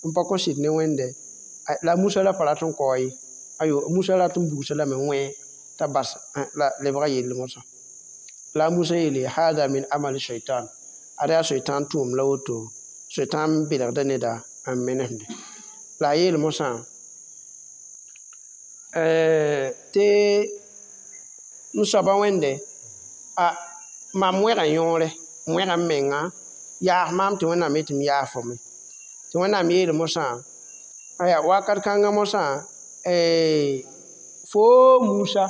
n pa kõ sɩd ne Wẽnde la Musa ra pa rat n kao ye ayo Musa rat n bugsa lame wẽ t'a bas la lebga yell mosã la Musa yeele hada min amali shaitan ada yaa shaitan tʋʋm la woto shaitan belgda neda n menesde la a yeel mosã Tɩ m soaba wẽnde a mam wẽga yõore n wẽga m menga yaas maam tɩ Wẽnnaam yetɩ m yaas fo me tɩ Wẽnnaam yeel mosã aya wakat kãngã mosã fo Musa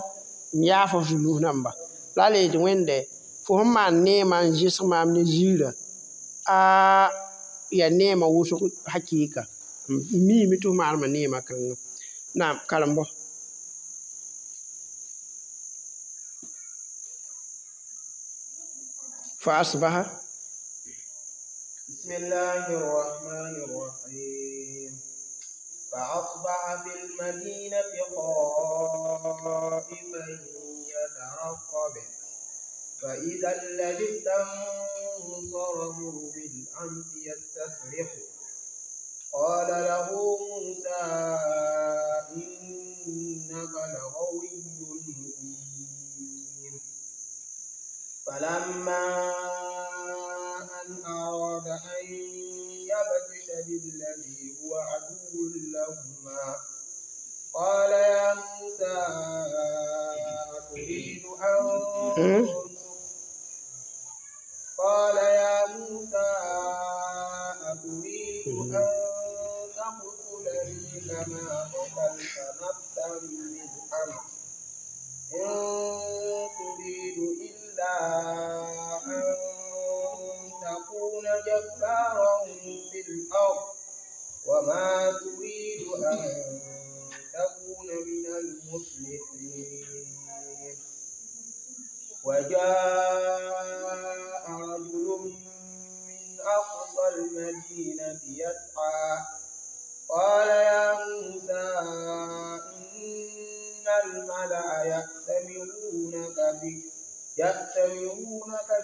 n yaas fo zulus namba la a le yetɩ Wẽnde fo sẽn maan neemã n zɩsg maam ne ziirã a yaa neemã wʋsg hakɩɩka n miime tɩ f maanema neemã kãngã naam karem-bɔ. فأصبح. بسم الله الرحمن الرحيم. فأصبح في المدينة خائفا يترقب فإذا الذي استنصره بالأمس يستصرخه. قال له موسى إنك لغوي مبين. فلما أن أراد أن يبطش بالذي هو عدو لهما قال يا موسى أتريد أن قال يا موسى أتريد أن تقتلني كما قتلت نفسا بالأمس إن تريد إلا أن تكون جبارا في الأرض وما تريد أن تكون من المصلحين. وجاء رجل من أقصى المدينة يسعى قال يا موسى إن الملأ يأتمرونك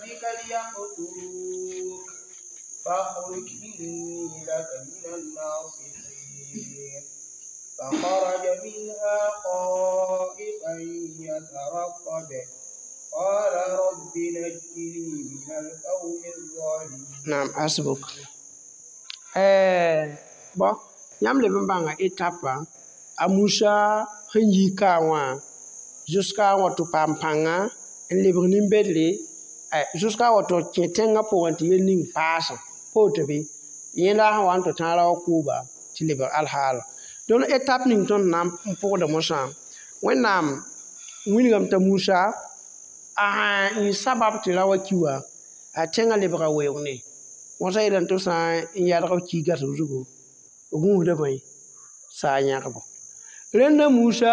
بك ليقتلوك فاخرج إني لك من الناصحين. فخرج منها خائفا يترقب قال رب نجني من القوم الظالمين. نعم حسبك. Bon yãmb leb n bãnga etapa a Musa sẽn yi kaam wã jusqu'à wa tɩ paam pãnga n lebg nin-bedre jusqu'à wa tɩ kẽ tẽngã pʋgẽ tɩ yel ning paasã pa woto bɩ yẽnda sẽn wa n tɩ tãag ra wa kʋʋba tɩ lebg alhaala. Donc étape ning tõnd na n pʋgda mosã Wẽnnaam wilgame t'a Musa a sã n sabab tɩ ra wa ki wã a tẽngã lebga weoog ne wãsã yeelame tɩ b sã n yãlg b ki gasg zugu b gũusda bõe saa yãgbo. Rẽnda Musa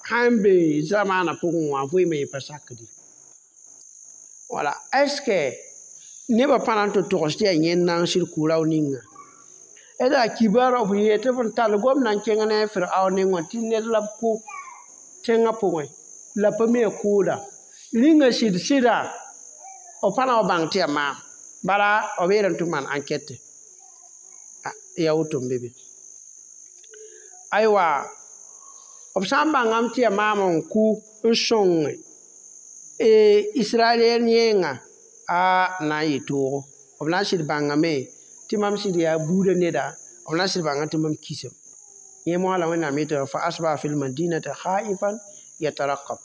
sãn be zamaanã pʋgẽ wã vɩɩmã yẽ pa sakdi. Wala est ce que nebã pa na n tɩ togs tɩ yaa yẽnd na n sɩd kʋ rao ninga d a kibaarã b yee tɩ b n tall gomdã n kẽng ne a Firaun nengẽ tɩ ned la b kʋ tẽngã pʋgẽ la pa mi a kʋʋda rĩngã sɩd sɩda b pa na wa bãng tɩ yaa maam bala b yeelame tɩ b maan enquête yaa woto n be be. Aywa b sã n bãngame tɩ yaa maam n kʋ n sõng Israɛl yẽnga a na n yɩ toogo b na n sɩd bãngame tɩ mam sɩd yaa buudã neda b na n sɩd bãnga tɩ mam kisame. Yẽ mosã la Wẽnnaam yetɩ fa asbaha fi lmadinati khaifan yataraqab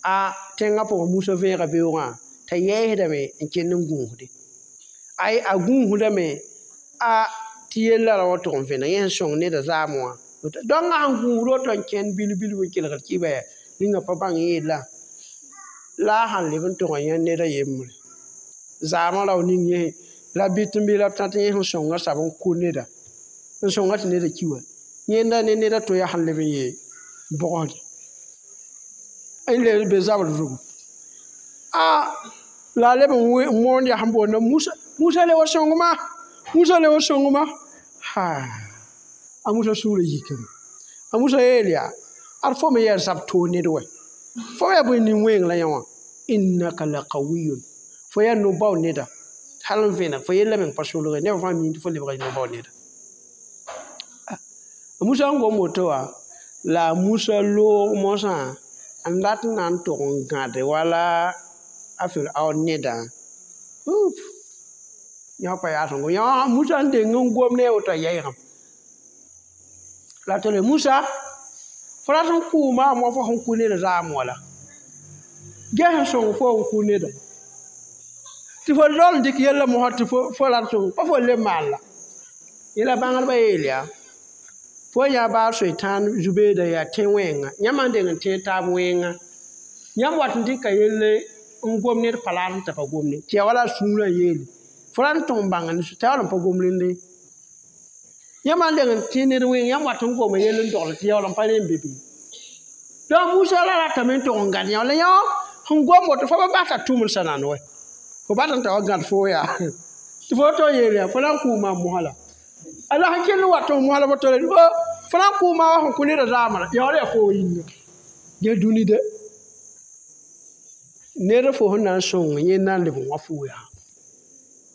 a tẽngã pʋgẽ Musa vẽega beoogã t'a yɛɛsdame n kell n gũusde ay a gũusdame a tɩ yella ra wa tʋg n vẽneg yẽ sẽn sõng neda zaam wã dõngã sẽn gũusd woto n kẽnd bil-bil n kelgd kɩba yaa rĩngã pa bãng yeella la a sãn leb n tʋg n yã ned a yembre zaamã rao ning yẽ la bɩt n bɩ la b tã tɩ yẽ sẽn sõngã sab n kʋ neda n sõnga tɩ neda ki wã yẽnda ne ned a to yaa sẽn leb n yee bʋgsde n le be zabr zugu a la a leb n moond yaa sẽn boonda Musa Musa le wa sõngma Musa le wa sõngma ha a Musa sũurã yikame a Musa yeel yaa ad fo me yaa zab toog ned wɛ fo yaa bõe nin-wẽeng la yã wã innaka laqawiyun fo yaa no-bao neda hal n vẽneg fo yella meng pa solge neb fãa miime tɩ fo lebga no-bao neda. A Musa n gom woto wã la a Musa loog mosã n dat n na n tʋg n gãde wala a Firaun nedã up yã pa yaa sẽn gom yã Musa n deng n gom ne a woto a yaɩgame la tɩ le Musa Fo rat n kʋʋ maam wa fo sẽn kʋ ned zaam wala. Ges n sõng fo n kʋ neda. Tɩ fo rol n dɩk yella mosã tɩ fo rat sõng pa fo le maan la. Yẽla bãngdbã yeel yaa fo yã baa soetãan zu-beeda yaa tẽ wẽnga yãmb n deng n tẽeg taab wẽnga yãmb wat n dɩka yelle n gom ned pa laad n t'a pa gomde tɩ yaa wala a sũurã yeele fo rat n tõg n bãng t'a yaool n pa gom rende yãmb n deng n tẽ ned wẽng yãmb wat n goma yell n dogl tɩ yaool n pa rẽ n be be donc Musa la ratame n tog n gãd yã la yã sẽn gom woto fo pa bas t'a tʋm n sã-nand wɛ fo bat n ta wa gãd fo yaa tɩ fo to yeel yaa fo na n kʋʋ maam mosã la a la sẽn kell n wat n mosã la fo tole fo na n kʋʋ maam wa sẽn kʋ neda zaamã la yaool yaa fo yĩnga gel dũni de ned fo sẽn na n sõng yẽ na n leb n wã fo yaa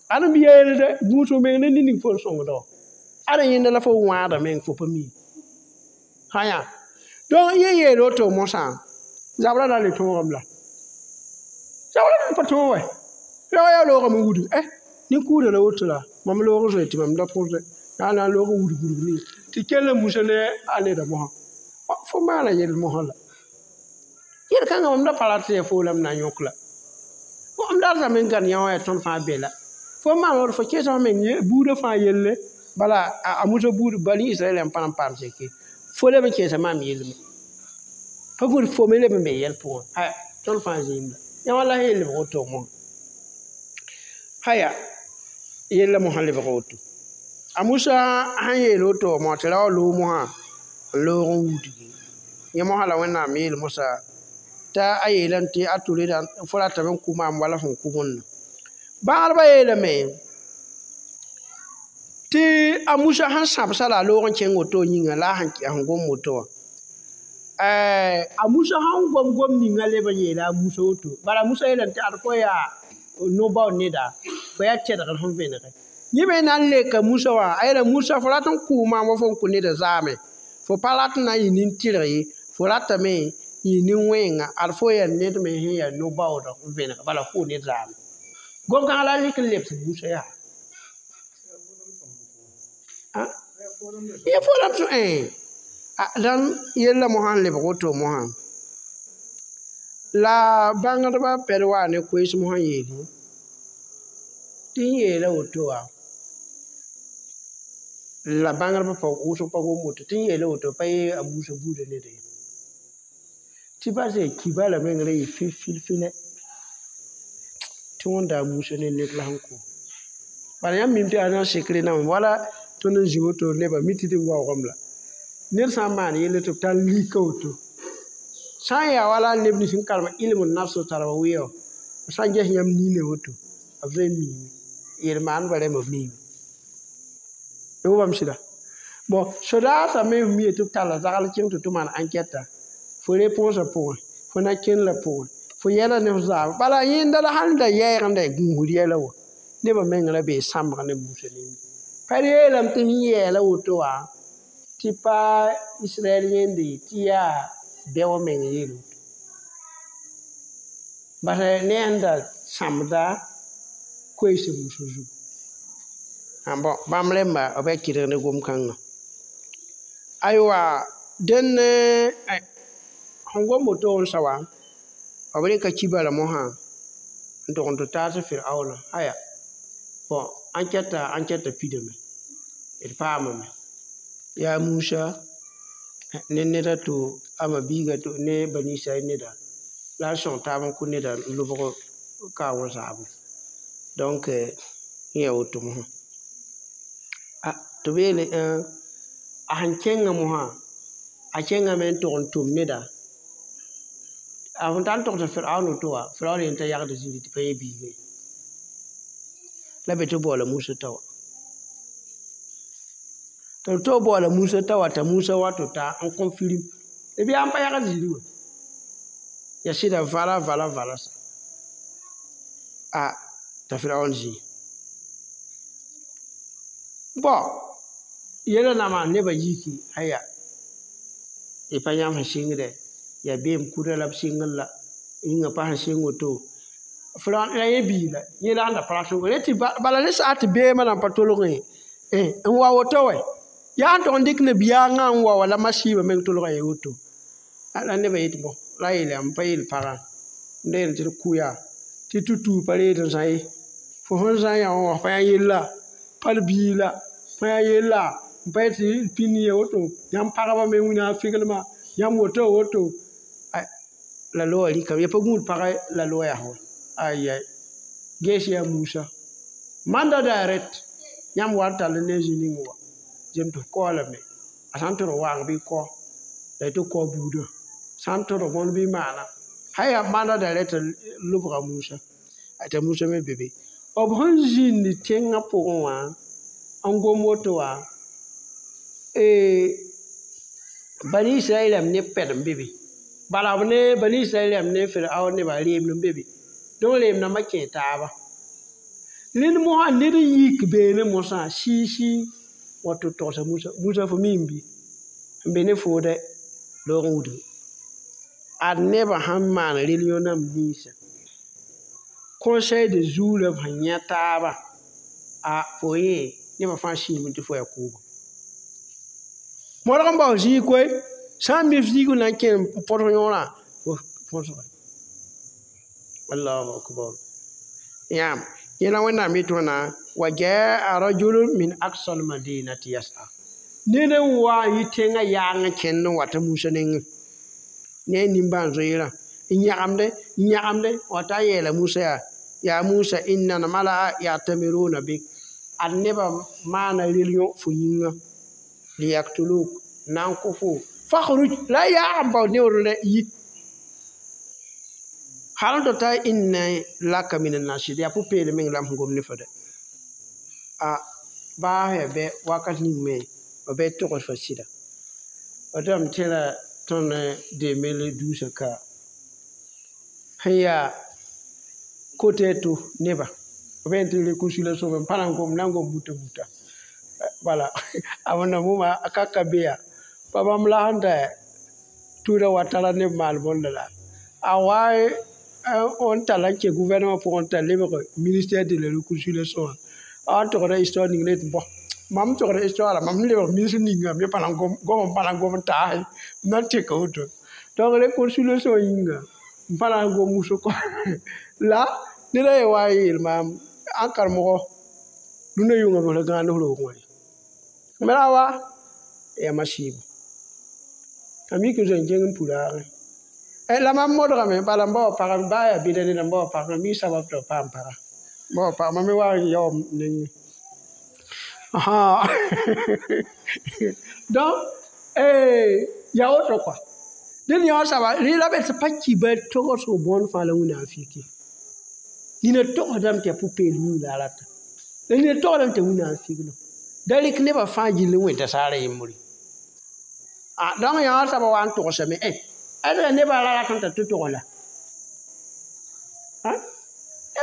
ad m yeelde gũusg meng ne ning fo n sõngda wã ad yẽnda la fo wãada meng fo pa mi hãyã donc yẽ yeel woto mosã zabrã na le tõogame la zabrã pa tõog wɛ ra yaa loogame n wudg ɛ nin-kʋʋda la woto la mam loog n zoe tɩ mam da pʋsdɛ yaa na n loog n wudg wudg ne tɩ kell n musa ne a neda mosã fo maana yell mosã la yel-kãngã mam da pa rat tɩ yaa fo la m na n yõk la m datame n gãd yã wã yaa tõnd fãa be la fo maan woto fo kẽesa f meng buudã fãa yelle bala a Musa buud bani Israɛl n pa n paam seke fo leb n kẽesa maam yellme pa gũud fo me leb n be yɛl pʋgẽ haya tõnd fãa zĩim la yã wã la sẽn yel lebg woto mosã haya yella mosã lebg woto a Musa sẽn yeel woto mosã tɩ ra wa loog mosã n loog n wudgi yẽ mosã la Wẽnnaam yeel mosã t'a a yeelame tɩ a tʋreda fo ratame n kʋ maam wala sẽn kʋ wẽnna bãgdbã yeelame tɩ a Musa sẽn sãbsa la a loog n kẽng woto yĩnga la a sẽn gom woto wã a Musa sẽn gom gom ninga leb n yeela a Musa woto bala a Musa yeelame tɩ ad fo yaa no-bao neda fo yaa tɛdgr sẽn vẽnege yẽ me na n leka Musa wã a yeela Musa fo rat n kʋʋ maam wa fo n kʋ neda zaame fo pa rat n na n yɩ nin-tɩrg ye fo ratame n yɩ nin-wẽnga ad fo yaa ned me sẽn yaa no-baood n vẽneg bala kʋʋ ned zaame gom-kãngã la a rɩk n lebs Musa yaa yẽ fo ram dãn yella mosã n lebg woto mosã la bãngdbã pɛd waa ne koees mosã yeele tɩ n yeela woto wã la bãngdbã pa wʋsg pa gom woto tɩ n yeela woto pa yee a Musa buudã ned ye tɩ bas yaa kiba la meng ra yɩ fil-fil-fɩlɛ tɩ wẽnda a Musa ne ned la sẽn kʋ bala yãmb mim tɩ yaa na n sekre nambã wala tõnd n zĩ woto nebã mi tɩ d waoogame la ned sã n maan yelle tɩ b tar lika woto sã n yaa wala neb nins n karem ilm nafs tarba wɩa wã b sã n ges yãmb niinã woto b zoe n miime yel-maandbã rẽmba b miime y wʋmame sɩda bon sodaasã me f mie tɩ b talla zagl kẽng tɩ tɩ maan enquête fo réponsã pʋgẽ fo na kẽnd la pʋgẽ fo yɛla ne f zaam bala yẽnda la sãn da yɛɛgenda gũusd yɛla wã nebã meng ra bee sãmbg ne Musa ninga pa yeelame tɩ sẽn yɛɛla woto wã tɩ pa Israɛl yẽnde tɩ yaa bɛo meng yeel woto bas ne sẽn da sãmbda koees Musa zugu bon bãmb rẽmba b yaa kɩdg ne gom-kãngã aywa dẽn sẽn gom woto n sa wa b rɩka kiba la mosã n tʋg n tɩ taas Firaoona aya bon enquête pidame d paamame yaa Musa ne neda to ama biiga to ne bani Israɛl neda la a sõng taab n kʋ neda n lobg kaoongã zaabo donc yẽ yaa woto mosã a tɩ b yeele a sẽn kẽngã mosã a kẽngame n tʋg n tʋm neda a sẽn tar n togsa Firaoon woto wã Firaoon yẽ t'a yagd zĩri tɩ pa yẽ biiga ye la be tɩ baoola Musa t'a wa tɩ b toog baoola Musa t'a wa t'a Musa wa tɩ ta n confirme b yaa n pa yagd zĩri wã ya sɩda vala vala vala sa a t'a Firaoon zĩ bon yɛla nama nebã yiki aya y pa yãmb sẽn sɩngdɛ yaa beem kuda la b sɩngr la yĩngã pa sẽn sɩng woto Firaoon la yẽ bii la yẽ la sẽn da pa rat n tɩ bala ne saa tɩ beemã nan pa tolgẽ n wa woto wɛ yaa n tog n dɩk nabiyaangã n wa wala masiibã meng tolga ye woto La nebã yetɩ bõ la a yeelame pa yeel pagã n da yeel tɩ d kʋ yaa tɩ tutu pa reed n zã ye fo sẽn zã yã wã pa yã yella pa d biig la pa yã yella n pa yetɩ d pĩnd ye woto yãmb pagba me wĩna figlmã yãmb woto woto la loa rɩkame ya pa gũud pagã la loa yaa wa ayai gees yaa Musa manda direct yãmb wa n tall ne zĩ ning wa zem tɩ f kaoolame a sã n tʋrg waang bɩ kao la tɩ kao buudã sã n tʋrg bõnd bɩ maana sã yaa manda direct lobga Musa t'a Musa me be be b sẽn zĩnd tẽngã pʋgẽ wã n gom woto wã Bani Israɛl rãmb ne pɛd n be be bala b ne Bani Israɛl rãmb ne Firaun nebã reemd n be be donc reem nambã kẽe taaba rẽnd mosã ned n yik beene mosã sɩɩ-sɩɩ wa tɩ togsa Musa Musa fo mi n bɩ n be ne foo dɛ loog n wudg ad nebã sẽn maan religion namba ninsã conseil de zuurã b sẽn yã taaba a fo yẽ nebã fãa sĩime tɩ fo yaa kʋʋbo modg n bao zĩig koe sã n mi f zĩig n na n kẽ n põs yõorã fo põsga allahu akbar yãam yẽla wẽnnaam yetɩ wãna wa jaa rajulun min aqsa almadinati yas'a ned n wa n yi tẽngã yaang n kẽnd n wata Musa nengẽ ne a nimbãan-zoeerã n yãgemde n yãgemde wa t'a yeela Musa yaa yaa Musa inna al-mala'a ya'tamiruna bik ad nebã maana religion fo yĩnga liyaktuluk na n kʋ fo fakhruj la a yaag n bao neoor yi hal n tɩ ta inna laka min an-nasihin yaa pʋ-peelem meng la m sẽn gom ne fo dɛ a baa yaa bɛ wakat ning me b bɩ togs fa sɩda b dame tẽra tõnd 2012 ka sẽn yaa kote to neba b yẽn tɩ réconciliation n pa na n gom na n gom buta buta wala a wẽnnaam wʋma a ka ka be yaa pa bãmb la sẽn da tʋʋda wa tara neb maal bõnda la a wa n tall n kẽ gouvernement pʋgẽ t'a lebg ministère de la réconciliation wã a wa n togda histoire ning la yetɩ bõ mam togda histoire la mam sẽn lebg ministre ninga me pa na n gom gom n pa na n gom n taase m na n teka woto donc réconciliation yĩnga n pa na n gom wʋsg la ned a ye wa n yeel maam ãn karemgo rũndã yʋngã b la gãand f roog wã me ra wa yaa masiibo a mik n zoe n kẽng n puraagẽ la mam modgame bala n ba wa pagã baa yaa bɩda neda n ba wa pagã mi sabab tɩ b paam paga n ba wa pagã mam me wa n yaoom nengẽ donc yaa woto kɔa dẽnd yã wã saba rẽ la be tɩ pa ki ba togsg bõond fãa la wĩnnaam fiki nina togsdame tɩ yaa pʋ-peelem yĩng la a rata la nina togsdame tɩ wĩnnaam figlem da rɩk nebã fãa gill n wẽnta saara yembre donc yã wã saba wa n togsame ad nebã ra rat n t'a tɩ togs la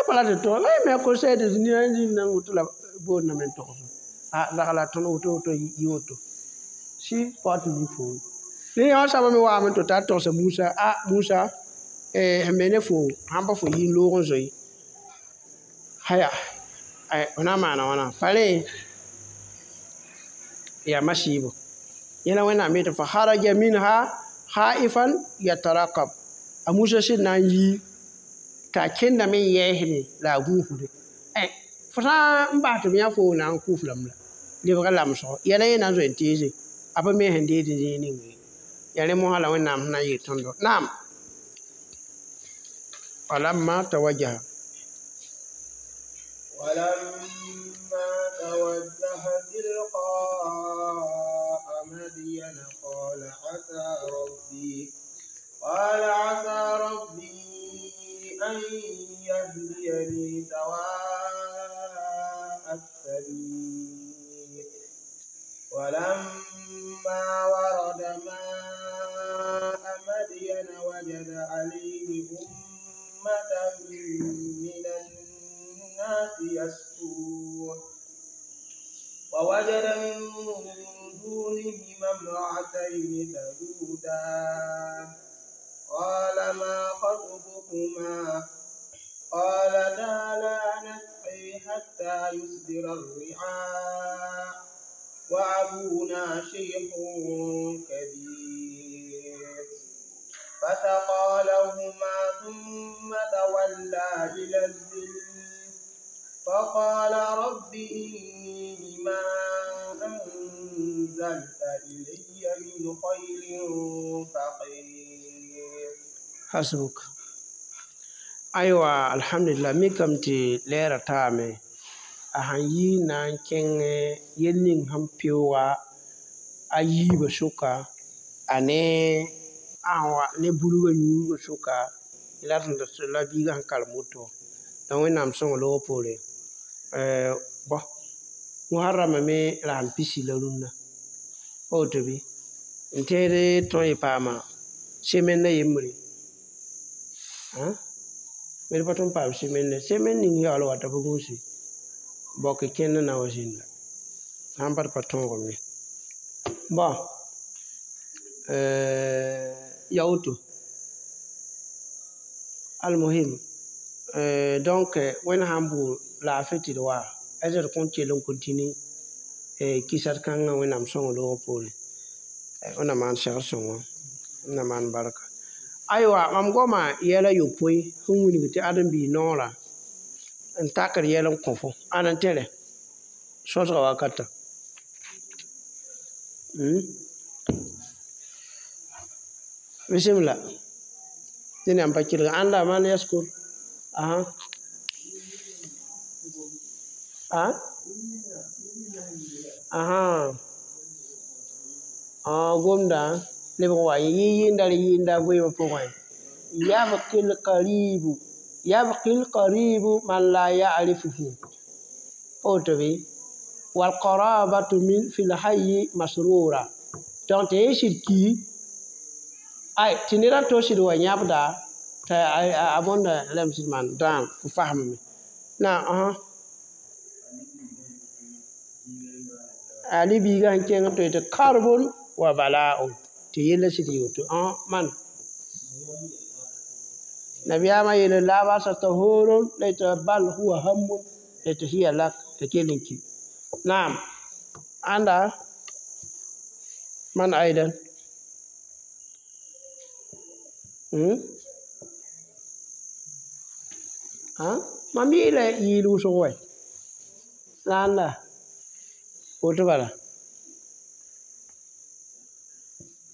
pa la tɩ togs la me conseil de nina n zĩnd na n woto la boondame n togs zagla tõnd woto woto yɩ woto sɩ pa tɩ mi foo rẽ yã wã saba me waame tɩ t'a togsa Musa a Musa sẽn be ne fo sãn pa fo yi n loog n zoe haya f na n maana wãna pa rẽ yaa masiibo yẽla wẽnnaam yetɩ fa haraja minha khaifan yatarakab a Musa sẽn na n yi t'a kẽndame n yɛɛsde la a gũusde fo sã n bas tɩ b yã fo na n kʋʋf lame la lebga lamsgo yɛla yẽ na n zoe n teese a pa me sẽn deed zĩig ning ye yaa rẽ mosã la wẽnnaam sẽn na n yeel tõndo naam walamma tawajjaha ولما توجه تلقاء مدين قال عسى ربي قال عسى ربي أن يهديني سواء السبيل ولما ورد ماء مدين وجد عليه أمة من الناس يسقون ووجد من دونهما امرأتين تذودان قال ما خطبكما قالتا لا نسقي حتى يصدر الرعاء وأبونا شيخ كبير. فسقى لهما ثم تولى إلى الظل فقال رب إني لما أنزلت إلي من خير فقير. Hasbuk. Aywa, alhamdulillah, mikame tɩ lɛɛrã taame a sãn yi na n kẽng yel ning sẽn peooga a yiibã sʋka, a ne a sẽn wa ne burgã yũudgã sʋka la la biigã sẽn karem woto. Donc Wẽnnaam sõngo loogã poore, bõ Muharramã me rasem pisi la rũnna pa woto bɩ n tẽed tõe n paama semaine a yembre b pa tõe n paam semaine semaine ning yaool wata pa gũusi baok kẽnd n na wa zĩnda sãn pa d pa tõogame. Bõ, ya woto almuhim. Donc Wẽnd sãn bʋ laafɩ tɩ d wa d kõn kell n continue kɩsd kãngã Wẽnnaam sõngo loogã poorẽ. Wẽnnaam maan segr sõngo, Wẽnnaam maan barka. Aywa, mam goama yɛl a yopoe sẽn wilg tɩ ãdem-biis noorã n takd yɛl n kõ fo. Ãn n tẽre sõsga wakatã? Bisimla, dẽn yãmb pa kelg ãnda man yaskur asa a ãhã gomdã lebg n wa yɩ yɩnda r yɩnda goeemã pʋgẽ. Yabqi lqaribu, yabqi lqaribu man la ya'rifuhu, pa woto bɩ? Walqarabatu min fi lhayyi masrura. Donc tɩ yẽ sɩd ki ay tɩ ned n to sɩd wa yãbda t'a a bõnda rãmb sɩd maan dãam fo fasmame na ãsã ali biigã sẽn kẽng n toe tɩ karbon wa bala'un tɩ yella sɩd yɩ woto man nabiyaamã yeele la basa tahurun laysa bal huwa hammun laysa hiya lak t'a kell n ki. Naam, ãnda man aidan mam yɩɩla yɩɩl wʋsg wɛ la ãnda woto bala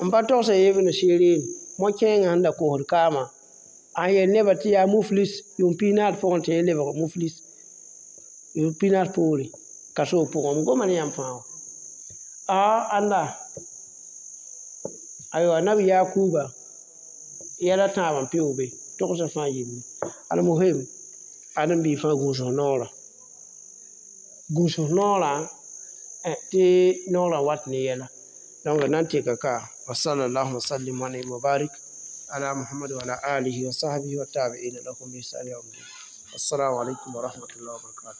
n pa togsa Ibn Sirin mo-kẽengã sẽn da kosd kaamã a yel nebã tɩ yaa muflis yʋʋm pis-naas pʋgẽ tɩ yẽ lebg muflis yʋʋm pis-naas poore kasoog pʋgẽ. M goma ne yãmb fãa wã a ãnda aywa nab Yakuba yɛla tãabã n peoog be togsã fãa yelle. Almuhim, ãdem-biig fãa gũus noorã, gũus noorã tɩ noorã wat ne yɛla. Donc d na n teka ka. Wa sallallahu wa sallim wa wa barik ala Muhammad wa ala alihi wa sahbihi wa tabi'ina lahum bi ihsan yawm din. Assalamu alaikum wa rahmatullahi wa barakatuh.